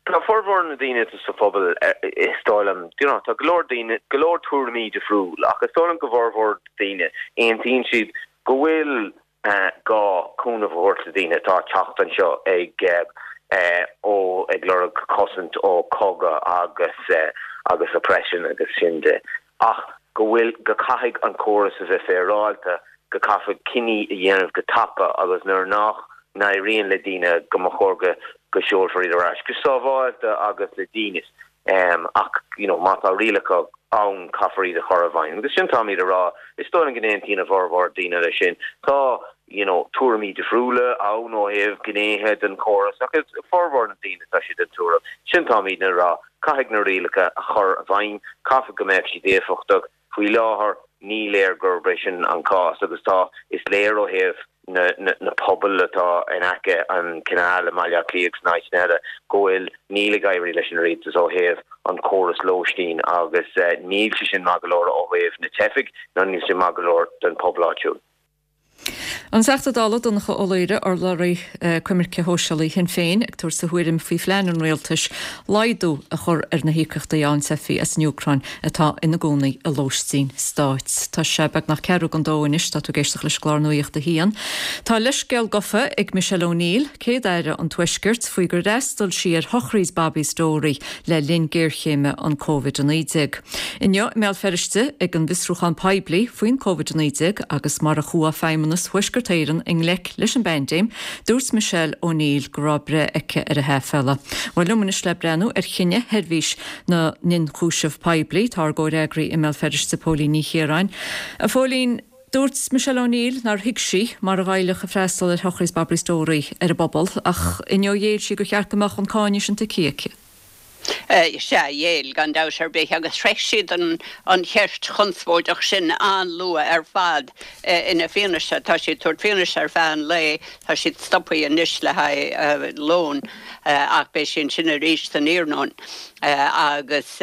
tá formhór na daoine atá sa phobal, is dóigh liom, you know, tá go leor daoine, go leor tuairimí difriúil ach is dóigh liom go bhformhór daoine, aontaíonn siad go bhfuil gá cúnamh a thabhairt do daoine atá ag teacht anseo ag ó ag lorg cosaint ó cogadh agus agus oppression agus sin de ach go bhfuil go caithfidh an córas a bheith féaráilte, go caithfear cinní a dhéanamh go tapa agus nuair nach n-éiríonn le daoine go mba chóir go go seolfar iad ar ais go sábháilte agus le dínit. Ach you know má tá rialacha ann caithfear iad a chur i bhfeidhm. Agus sin táimid a rá, is dóigh liom go n-aontaíonn a bhformhór daoine leis sin. Tá you know tuairimí difriúla ann ó thaobh gnéithe den chóras ach is formhór na daoine tá siad den tuairim sin táimidne a rá, caithfidh na rialacha a chur i bhfeidhm, caithfidh go mbeadh siad éifeachtach. Faoi láthair ní léir gurb é sin an cás agus tá, is léir ó thaobh na na pobail atá in aice an canal i mBaile Átha Cliath agus in áiteanna eile go bhfuil, níl ag éirí leis an rialtas ó thaobh an córas lóistín agus níl sé sin maith go leor ó thaobh na teifigh ná níl sé maith go leor don pobal áitiúil. An Teachta Dála Donncha Ó Laoghaire, urlabhraí coimirce shóisialaí Shinn Féin, ag tabhairt a thuairim faoi phlean an rialtais laghdú a chur ar na híocaíochtaí a fhaigheann teifigh as an Úcráin atá ina gcónaí i lóistín stáit. Tá sé beagnach ceathrú don dó anois, tá tú ag éisteacht leis an gclár Nuacht a hAon. Tá leithscéal gafa ag Michelle O'Neill, Céad-Aire an Tuaiscirt, faoi gur fhreastail sí ar shochraid Bobby Storey le linn géarchéime an Covid-19. Inniu i mBéal Feirste ag an bhfiosrúchán poiblí faoin Covid-19 agus mar a chuaigh Feidhmeannas Thuaisceart Éireann i ngleic leis an bpaindéim, dúirt Michelle O'Neill go raibh breith aici ar a haiféala. Bhuel liom anois le breathnú ar chinneadh Sheirbhís na nIonchúiseamh Poiblí, tá ár gcomhfhreagraí i mBéal Feirste, Póilín Ní Chiaráin. A Phóilín, dúirt Michelle O'Neill nár thuig sí mar a ghoillfeadh a freastal ar shochraid Bobby Storey ar an bpobal ach inniu ghéill sí gur cheart go mbeadh an cáineadh sin tuigthe aici. Sea, ghéill, gan dabht ar bith, agus shroich siad an cheist chonspóideach sin an-luath ar fad ina bhfianaise. Tá siad ag tabhairt fianaise ar feadh an lae, tá siad stoptha anois le haghaidh lóin ach beidh siad ansin arís san iarnóin. Agus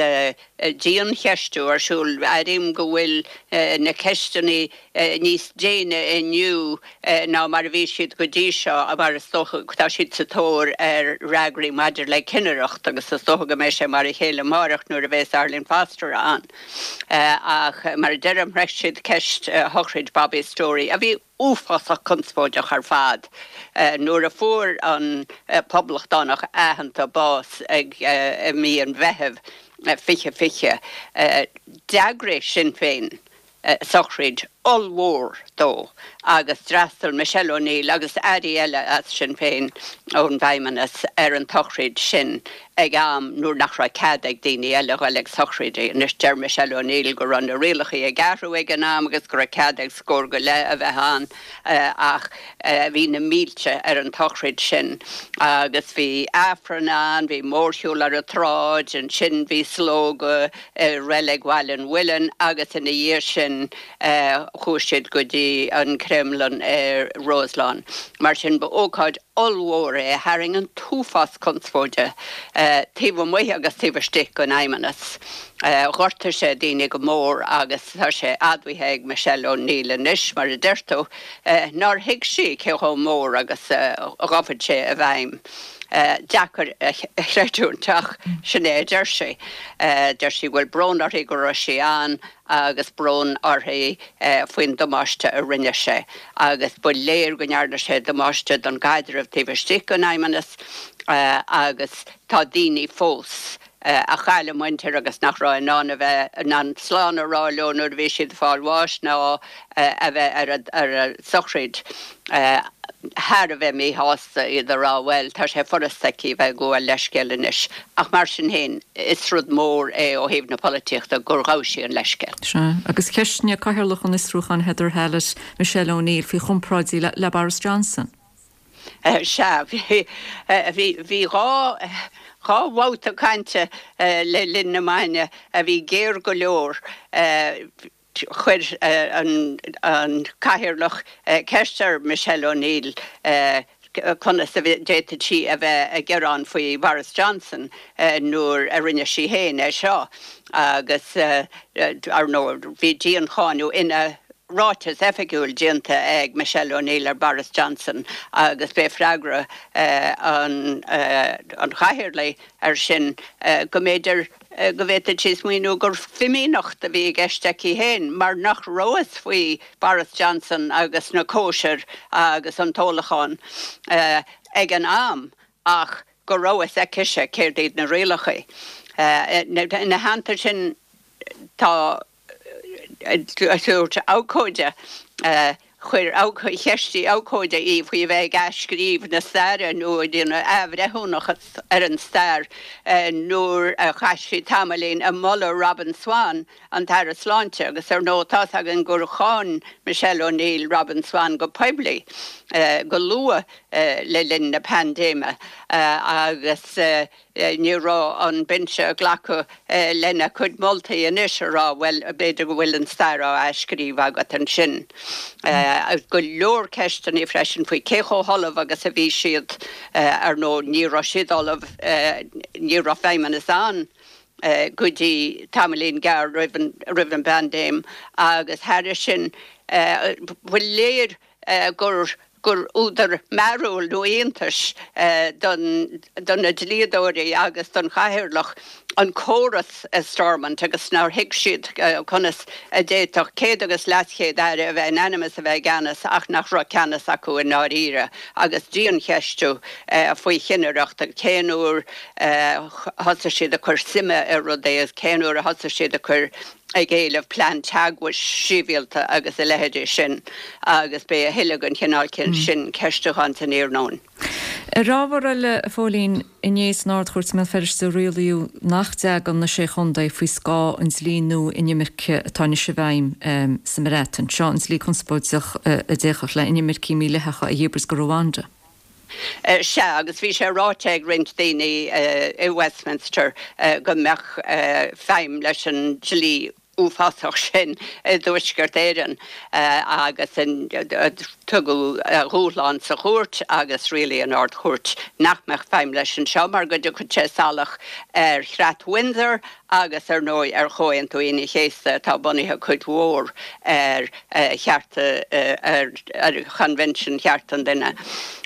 diancheistiú ar siúl, airím go bhfuil na ceisteanna níos déine inniu ná mar a bhí siad go dtí seo mar is dócha tá siad sa tóir ar fhreagraí maidir le cinnireacht agus is dócha go mbeidh sé mar a chéile amáireach nuair a bheas Arlene Foster ann. Ach mar a deirim shroich siad ceist shochraid Bobby Storey a bhí uafásach conspóideach ar fad nuair a fuair an poblachtánach aitheanta bás ag i mí an Mheithimh 2020. D'eagraigh Sinn Féin sochraid ollmhór dó agus d'fhreastail Michelle O'Neill agus airí eile as Sinn Féin ón bhFeidhmeannas ar an tsochraid sin ag am nuair nach raibh cead ag daoine eile a ghoil ag sochraidí. Anois deir Michelle O'Neill go raibh na rialacha ag athrú ag an am agus go raibh cead ag scór go leith a bheith ann ach bhí na mílte ar an tsochraid sin agus bhí Aifreann ann, bhí mórshiúl ar an tsráid, ansin bhí slógadh i Reilig Bhaile an Mhuilinn agus ina dhiaidh sin chuaigh siad go dtí an Cremlin ar Roselawn. Mar sin ba ócáid ollmhór é a tharraing an t-uafás conspóide taobh amuigh agus taobh istigh den Fheidhmeannas. Ghortaigh sé daoine go mór agus tá sé admhaithe ag Michelle O'Neill anois, mar a deir tú, nár thuig sí cé chomh mór agus a ghabhfadh sé i bhfeidhm. Deacair a chreidiúint ach sin é a deir sí. Deir sí go bhfuil brón uirthi go raibh sí ann agus brón uirthi faoin damáiste a rinne sé agus ba léir go ndearna sé damáiste don gcaidreamh taobh istigh den Fheidhmeannas agus tá daoine fós a chaill a muintir agus nach raibh in ann a bheith in ann slán a rá leo nuair a bhí siad ag fáil bháis ná a bheith ar a sochraid thar a bheith míshásta, iad ag rá bhuel, tá sé furasta aici a bheith ag gabháil leithscéil anois. Ach mar sin féin, is rud mór é ó thaobh na polaitíochta gur ghabh sí an leithscéal. Sea, agus cheistigh Cathaoirleach an Fhiosrúcháin Heather Hallett Michelle O'Neill faoi chomparáidí le Boris Johnson. Sea, bhí, bhí 2 bhabhta cainte le linn na maidine a bhí géar go leor. Chuir an Cathaoirleach ceist ar Michelle O'Neill conas a d'fhéadfadh sí a bheith ag gearán faoi Boris Johnson nuair a rinne sí féin é seo agus, ar ndóigh, bhí diancháineadh ina ráiteas oifigiúil déanta ag Michelle O'Neill ar Boris Johnson agus b'é freagra an Chathaoirligh air sin go mb'fhéidir go bhféadfadh sí smaoineamh gur fimíneacht a bhí i gceist aici féin mar nach raibh a fhios faoi Boris Johnson agus na cóisir agus an t-ólachán ag an am ach go raibh a fhios aicise céard iad na rialacha. Ina theannta sin tá Dúirt abhcóide, chuir cheistigh abhcóide í faoi a bheith ag athscríobh na staire nó ag déanamh athbhreithiúnachas ar an stair nuair a chaith sí tamaillín ag moladh Robin Swann, an tAire Sláinte, agus ar ndóigh tá's againn gur cháin Michelle O'Neill Robin Swann go poiblí go luath le linn na paindéime agus Ní raibh an binse ag glacadh lena cuid moltaí anois a rá, bhuel, b'fhéidir go bhfuil an stair á athscríobh agat ansin. Go leor ceisteanna freisin faoi cé chomh hullamh agus a bhí siad. Ar ndóigh, ní raibh siad ullamh, ní raibh feidhmeannas ann go dtí tamaillín gearr roimh an bpaindéim agus thairis sin, ba léir gur gur údar mearúil nó iontais don do na dlíodóirí agus don chathaoirleach an córas i Stormont agus nár thuig siad conas a d'fhéadfadh céad agus leaschéad aire a bheith in ainm is a bheith i gceannas ach nach raibh ceannas acu i ndáiríre agus diancheistiú faoi chinnireacht agus cén uair a thosaigh siad ag cur suime i rudaí agus cén uair a thosaigh siad ag cur ag éileamh plean teagmhais sibhialta agus a leithéidí sin agus beidh a thuilleadh den chineál sin ceistiúcháin san iarnóin. Ar ábhar eile, a Phóilín, inné san Ard-Chúirt i mBéal Feirste rialaíodh nach dtagann na Sé Chontae faoi scáth an dlí nua inimirce atá anois i bhfeidhm sa mBreatain. Seo an dlí conspóideach a d'fhéachfadh le inimircigh mídhleathacha a dhíbirt go Rwanda. Sea, agus bhí sé ráite ag roinnt daoine i Westminster go mbeadh feidhm leis an dlí uafásach sin i dTuaisceart Éireann agus tugadh a dhúshlán sa chúirt agus rialaigh an Ard-Chúirt nach mbeadh feidhm leis anseo mar go dtiocfadh sé salach ar Chreat Windsor agus ar ndóigh ar Chomhaontú Aoine an Chéasta atá bunaithe cuid mhór ar chearta, ar Choinbhinsiún Chearta an Duine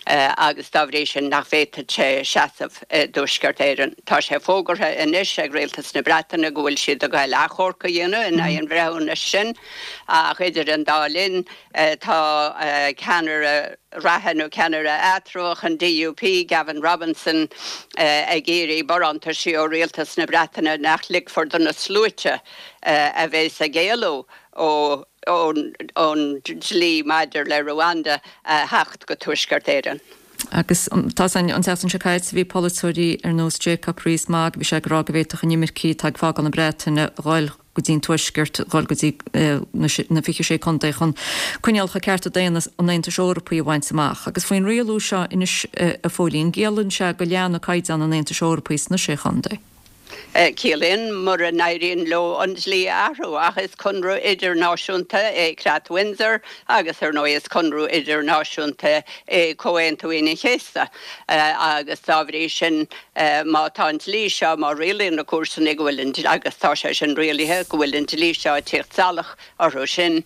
agus dá bhrí sin nach bhféadfadh sé seasamh i dTuaisceart Éireann. Tá sé fógartha anois ag Rialtas na Breataine go bhfuil siad ag goil achomharc a dhéanamh in aghaidh an bhreithiúnais sin ach idir an dá linn tá ceannaire reatha nó ceannaire eatramhach an DUP, Gavin Robinson, ag iarraidh barántaisí ó Rialtas na Breataine nach ligfear do na sluaite a bheas ag éalú ón dlí maidir le Rwanda a theacht go Tuaisceart Éireann. Agus tá an tseachtain seo caite bhí polaiteoirí ar nós Jacob Rees-Mogg, bhí sé ag rá go bhféadfadh inimircigh atá ag fágáil na Breataine a dhul go dtí an Tuaisceart, dhul go dtí na 26 contae chun coinníollacha cearta daonna an Aontais Eorpaigh a bhaint amach. Agus faoin rialú seo anois a Phóilín, an gciallaíonn sé go leanfaidh caighdeán an Aontais Eorpaigh sna Sé Chontae. Ciallaíonn, mura n-éiríonn leo an dlí a athrú, ach is conradh idirnáisiúnta é Creat Windsor agus, ar ndóigh, is conradh idirnáisiúnta é Comhaontú Aoine an Chéasta agus dá bhrí sin, má tá an dlí seo, má rialaíonn na cúirteanna go bhfuil an, agus tá sé sin rialaithe, go bhfuil an dlí seo ag tíocht salach orthu sin,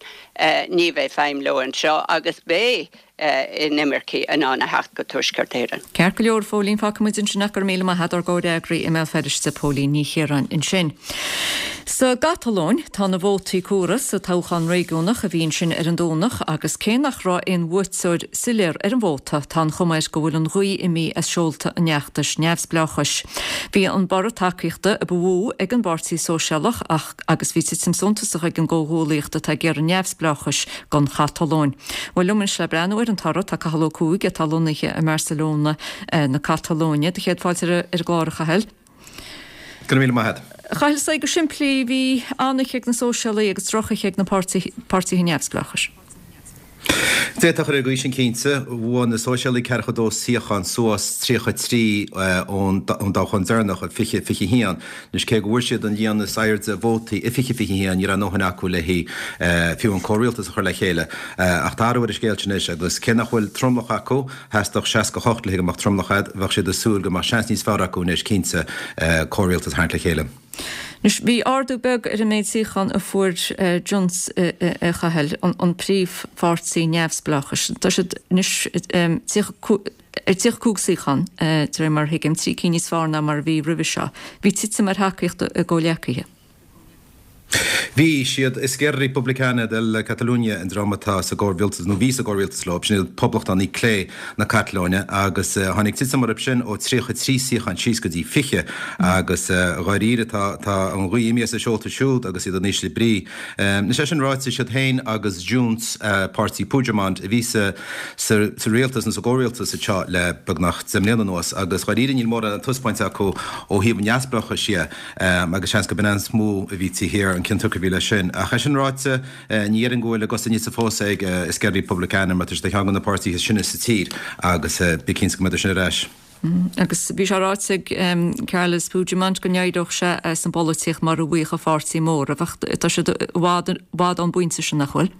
ní bheidh feidhm leo anseo agus beidh. inimircigh in ann a theacht go Tuaisceart Éireann. Ceart go leor, a Phóilín, fágfaidh muid ansin ach go raibh míle maith agat ár gcomhfhreagraí i mBéal Feirste, Póilín Ní Chiaráin ansin. Sa gCatalóin, tá na vótaí comhairthe sa toghchán réigiúnach a bhí ansin ar an Domhnach agus cé nach raibh aon bhuaiteoir soiléir ar an vóta, tá an chuma air go bhfuil an ghaoth imithe as seolta an fheachtais neamhspleáchais. Bhí an borradh tacaíochta a ba mhó ag an bPáirtí Sóisialach ach agus bhí titim suntasach ag an gcomhghuallaíocht atá ag iarraidh neamhspleáchais don Chatalóin. Bhuel, liom anois le breathnú ar an toradh tá Cathal Ó Cuaig atá lonnaithe i mBarcelona na Catalóine. Do chéad fáilte ar an gclár, a Chathail. Go raibh míle maith agat. A Chathail, sea, go simplí, bhí an-oíche ag na Sóisialaigh agus drochoíche ag na páirtithe neamhspleáchais. D'fhéadfá a chur ar an gcaoi sin cinnte. Bhuaigh na Sóisialaigh 42 suíochán suas 33 ón dtoghchán deireanach i 2021. Anois cé go bhfuair siad an líon is airde vótaí i 2021 ní raibh a ndóthain acu le haghaidh fiú an comhrialtas a chur le chéile. Ach tá athrú ar an scéal sin anois agus cé nach bhfuil tromlach acu, theastódh 68 le haghaidh go mbeadh tromlach agat, bheadh siad ag súil go mbeadh seans níos fearr acu anois cinnte comhrialtas a tharraingt le chéile. Anois bhí ardú beag ar an méid suíochán a fuair Junts, a Chathail, an príomhpháirtí neamhspleáchais. Tá siad anois ar 35 suíochán, de réir mar a thuigim, 3 cinn níos fearr ná mar a bhí roimhe seo. Bhí titim ar thacaíocht a gcomhghleacaithe. Bhí, siad Esquerra Republicana de Catalunya an dream atá sa gcomhrialtas, nó bhí sa gcomhrialtas leo, sin iad poblachtánaigh clé na Catalóine, agus tháinig titim orthu sin ó 33 suíochán síos go dtí 20, agus dháiríre tá tá an ghaoth imithe as a seolta siúd agus iad in ísle brí. Anois é sin ráite, siad féin agus Junts, páirtí Puigdemont, a bhí sa sa rialtas nó sa gcomhrialtas anseo le beagnach 10 mbliana anuas agus dháiríre níl mórán le taispeáint acu ó thaobh an neamhspleáchais dhe agus seans go b'in an is mó a bhí taobh thiar an cionsiocair a bhí leis sin. Ach é sin ráite, ní dhéarfainn go bhfuil a gcosa nite fós ag Esquerra Republicana mar tá siad ar cheann de na páirtithe is sine sa tír agus bí cinnte go mbeidh sin ar ais. Agus bhí sé ráite ag Carles Puigdemont go n-éireodh sé as an bpolaitíocht mura bhfaigheadh a pháirtí móramh ach tá siad i bhfad ón bpointe sin, nach bhfuil?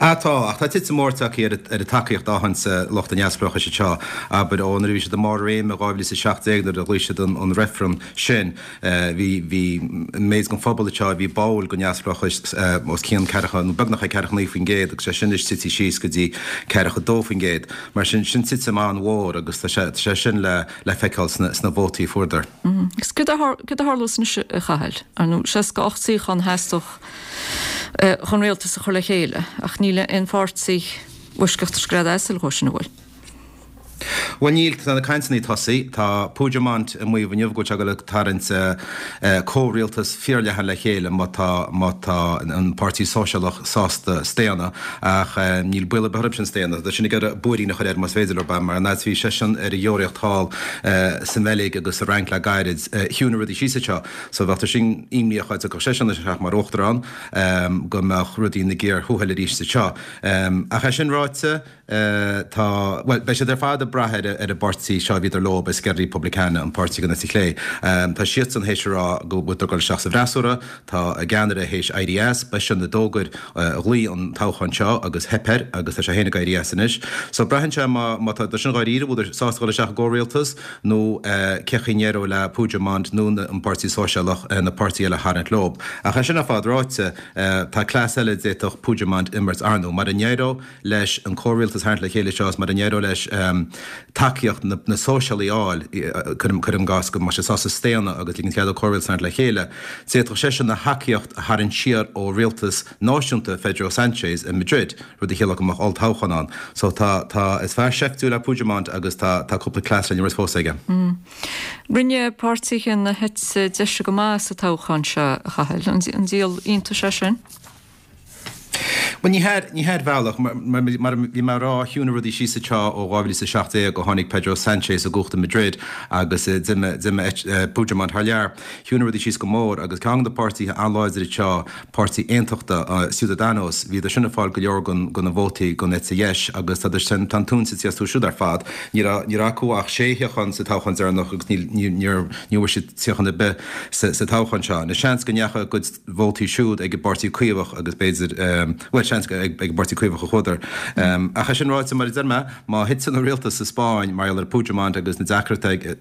Ah tá, ach tá titim mór tagtha ar an tacaíocht a fhaigheann lucht an neamhspleáchais anseo. Abair, ó nuair a bhí siad i mbarr a réime i 2017 nuair a ghlaoigh siad an reifreann sin, bhí, bhí an méid den phobal anseo a bhí báúil don neamhspleáchas os cionn ceathracha, nó beagnach ag 49% agus sé sin anois tite síos go dtí 42%. Mar sin, sin titim an-mhór agus tá sé, tá sé sin le, le feiceáil sna, sna vótaí a fuaireadar. Agus céard a, céard a tharlós anois a Chathail? Ar ndóigh, 68 suíochán a theastódh chun rialtas a chur le chéile, ach níl aon pháirtí i bhfoisceacht scread asail dhó sin, an bhfuil? Bhuel níl, tá na cainteanna ag tosaí. Tá Puigdemont ag maíomh inniu go bhfuil sé ag dul ag tarraingt comhrialtas fíorleathan le chéile má tá má tá an Páirtí Sóisialach sásta staonadh, ach níl baol ar bith orthu sin staonadh. Tá sin ag iarraidh buairín a chur air más féidir leo, mar an fhad is a bhí seisean ar a dheoraíocht thall sa mBeilg agus sa Fhrainc le gairid, chiúnaigh rudaí síos anseo. So bheadh sin imníoch dá dtiocfadh seisean isteach mar uachtarán go mbeadh rudaí ina gcíor thuathail arís anseo. Ach é sin ráite, Tá, bhuel, beidh siad ar fad ag brath ar an bpáirtí seo a bhíodar leob, Esquerra Republicana, an páirtí den eite chlé. Tá siadsan théis a rá go bhfuiltear ag dul isteach sa bhfreasúra. Tá a gceannaire théis éirí as. B'eisean a d'fhógair, a ghlaoigh an toghchán seo agus theip air agus tá sé féin ag éirí as anois. So braitheann sé má má tá sin dháiríre, bhfuileadar sásta dhul isteach i gcomhrialtas nó cé chaoi a n-éireoidh le Puigdemont nó an Páirtí Sóisialach na páirtithe eile a tharraingt leob. Ach é sin ar fad ráite, tá cleas eile a d'fhéadfadh Puigdemont imirt ar ndóigh. Mara n-éireodh leis an comhrialtas a tharraingt le chéile seo is mara n-éireodh leis tacaíocht na sóisialaigh a fháil, cuirim i gcás go mbeadh sé sásta staonadh agus ligint cead dó comhrialtas a tharraingt le chéile, d'fhéadfadh seisean a thacaíocht a tharraingt siar ó rialtas náisiúnta Phedro Sanchez i Madrid, rud a chiallódh go mbeadh olltoghchán ann. So tá, tá, is fear seiftiúil é Puigdemont agus tá, tá cúpla cleas le n-imirt fós aige. Rinne páirtithe na heite deise go maith sa toghchán seo, a Chathail. An díol iontais é sin? Bhuel, ní hea, ní hea ar bhealach. Mar a bhí mé a rá, chiúnaigh rudaí síos anseo ó 2017 ó tháinig Pedro Sanchez i gcumhacht i Madrid agus d'imigh, d'imigh Puigdemont thar lear. Chiúnaigh rudaí síos go mór agus ceann de na páirtithe an-láidir anseo, páirtí aontachta, Ciudadanos, bhíodar sin ag fáil go leor de na vótaí den eite dheis agus tá, tá an tóin tite astu siúd ar fad. Ní raibh, ní raibh acu ach sé shuíochán sa toghchán deireanach agus níl, ní, níor, ní bhfuair siad suíochán ar bith sa, sa toghchán seo. Anois seans go ndeachaigh a gcuid vótaí siúd ag an bPáirtí Caomhach agus b'fhéidir, bhuel, seans ag an bPáirtí Caomhach a chuadar. Ach é sin ráite, mar a deir mé, má thiteann an rialtas sa Spáinn mar gheall ar Puigdemont agus na deacrachtaí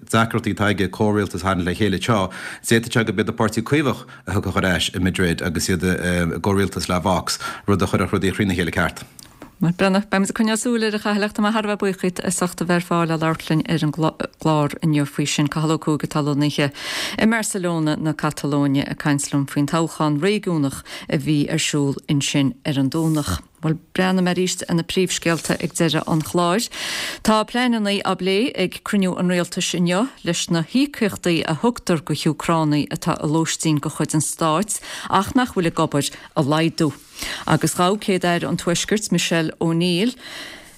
atá aige comhrialtas a tharraingt le chéile anseo, d'fhéadfadh sé gurb iad an Páirtí Caomhach a thiocfadh ar ais i Madrid agus iad i gcomhrialtas le Vox, rud a chuirfeadh rudaí thrína chéile ceart. Bhuel, breathnóidh, beimid ag coinneáil súil air a Chathail ach tá mé thar a bheith buíoch díot as ucht a bheith ar fáil le labhairt linn ar an gclár inniu faoi sin. Cathal Ó Cuaig atá lonnaithe i mBarcelona na Catalóine ag caint liom faoin toghchán réigiúnach a bhí ar siúl ansin ar an Domhnach. Bhuel, breathnóidh mé arís ar na príomhscéalta ag deireadh an chláir. Tá pleananna á bplé ag cruinniú an rialtais inniu leis na híocaíochtaí a thugtar go hÚcránaigh atá i lóistín de chuid an stáit ach nach bhfuil ag obair a laghdú. Agus ghabh Céad-Aire an Tuaiscirt, Michelle O'Neill,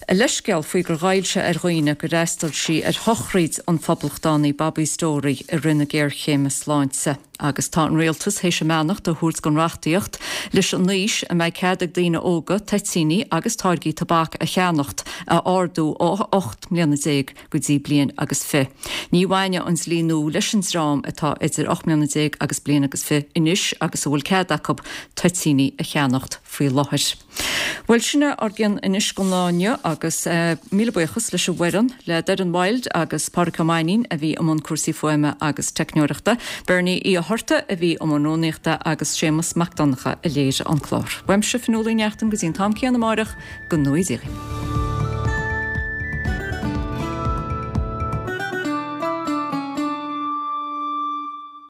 a leithscéal faoi gur ghoill sé ar dhaoine gur fhreastail sí ar shochraíd an phoblachtánaí Bobby Storey i rith na géarchéime sláinte. Agus tá an rialtas théis a mbeannacht a thabhairt don reachtaíocht leis an aois a mbeidh cead ag daoine óga toitíní agus táirgí tobac a cheannacht a ardú ó 18 mbliana go dtí bliain agus fi. Ní bhainfidh an dlí nua leis an dream atá idir 18 mbliana agus bliain agus fi anois agus a bhfuil cead acu toitíní a cheannacht faoi láthair. Bhuel, sin é ár gcion anois don lá inniu agus míle buíochas leis an bhfoireann, le Doireann Wilde agus Pádraic Ó Mainnín a bhí i mbun cúrsaí fuaime agus teicneoireachta, Bernie Uí Fhátharta a bhí i mbun rúnaíochta agus Séamus Mac Donncha a léirigh an clár. Uaimse, Fionnuala Uí Neachtain, go dtí an t-am céanna amáireach, go ngnóthaí Dia dhaoibh.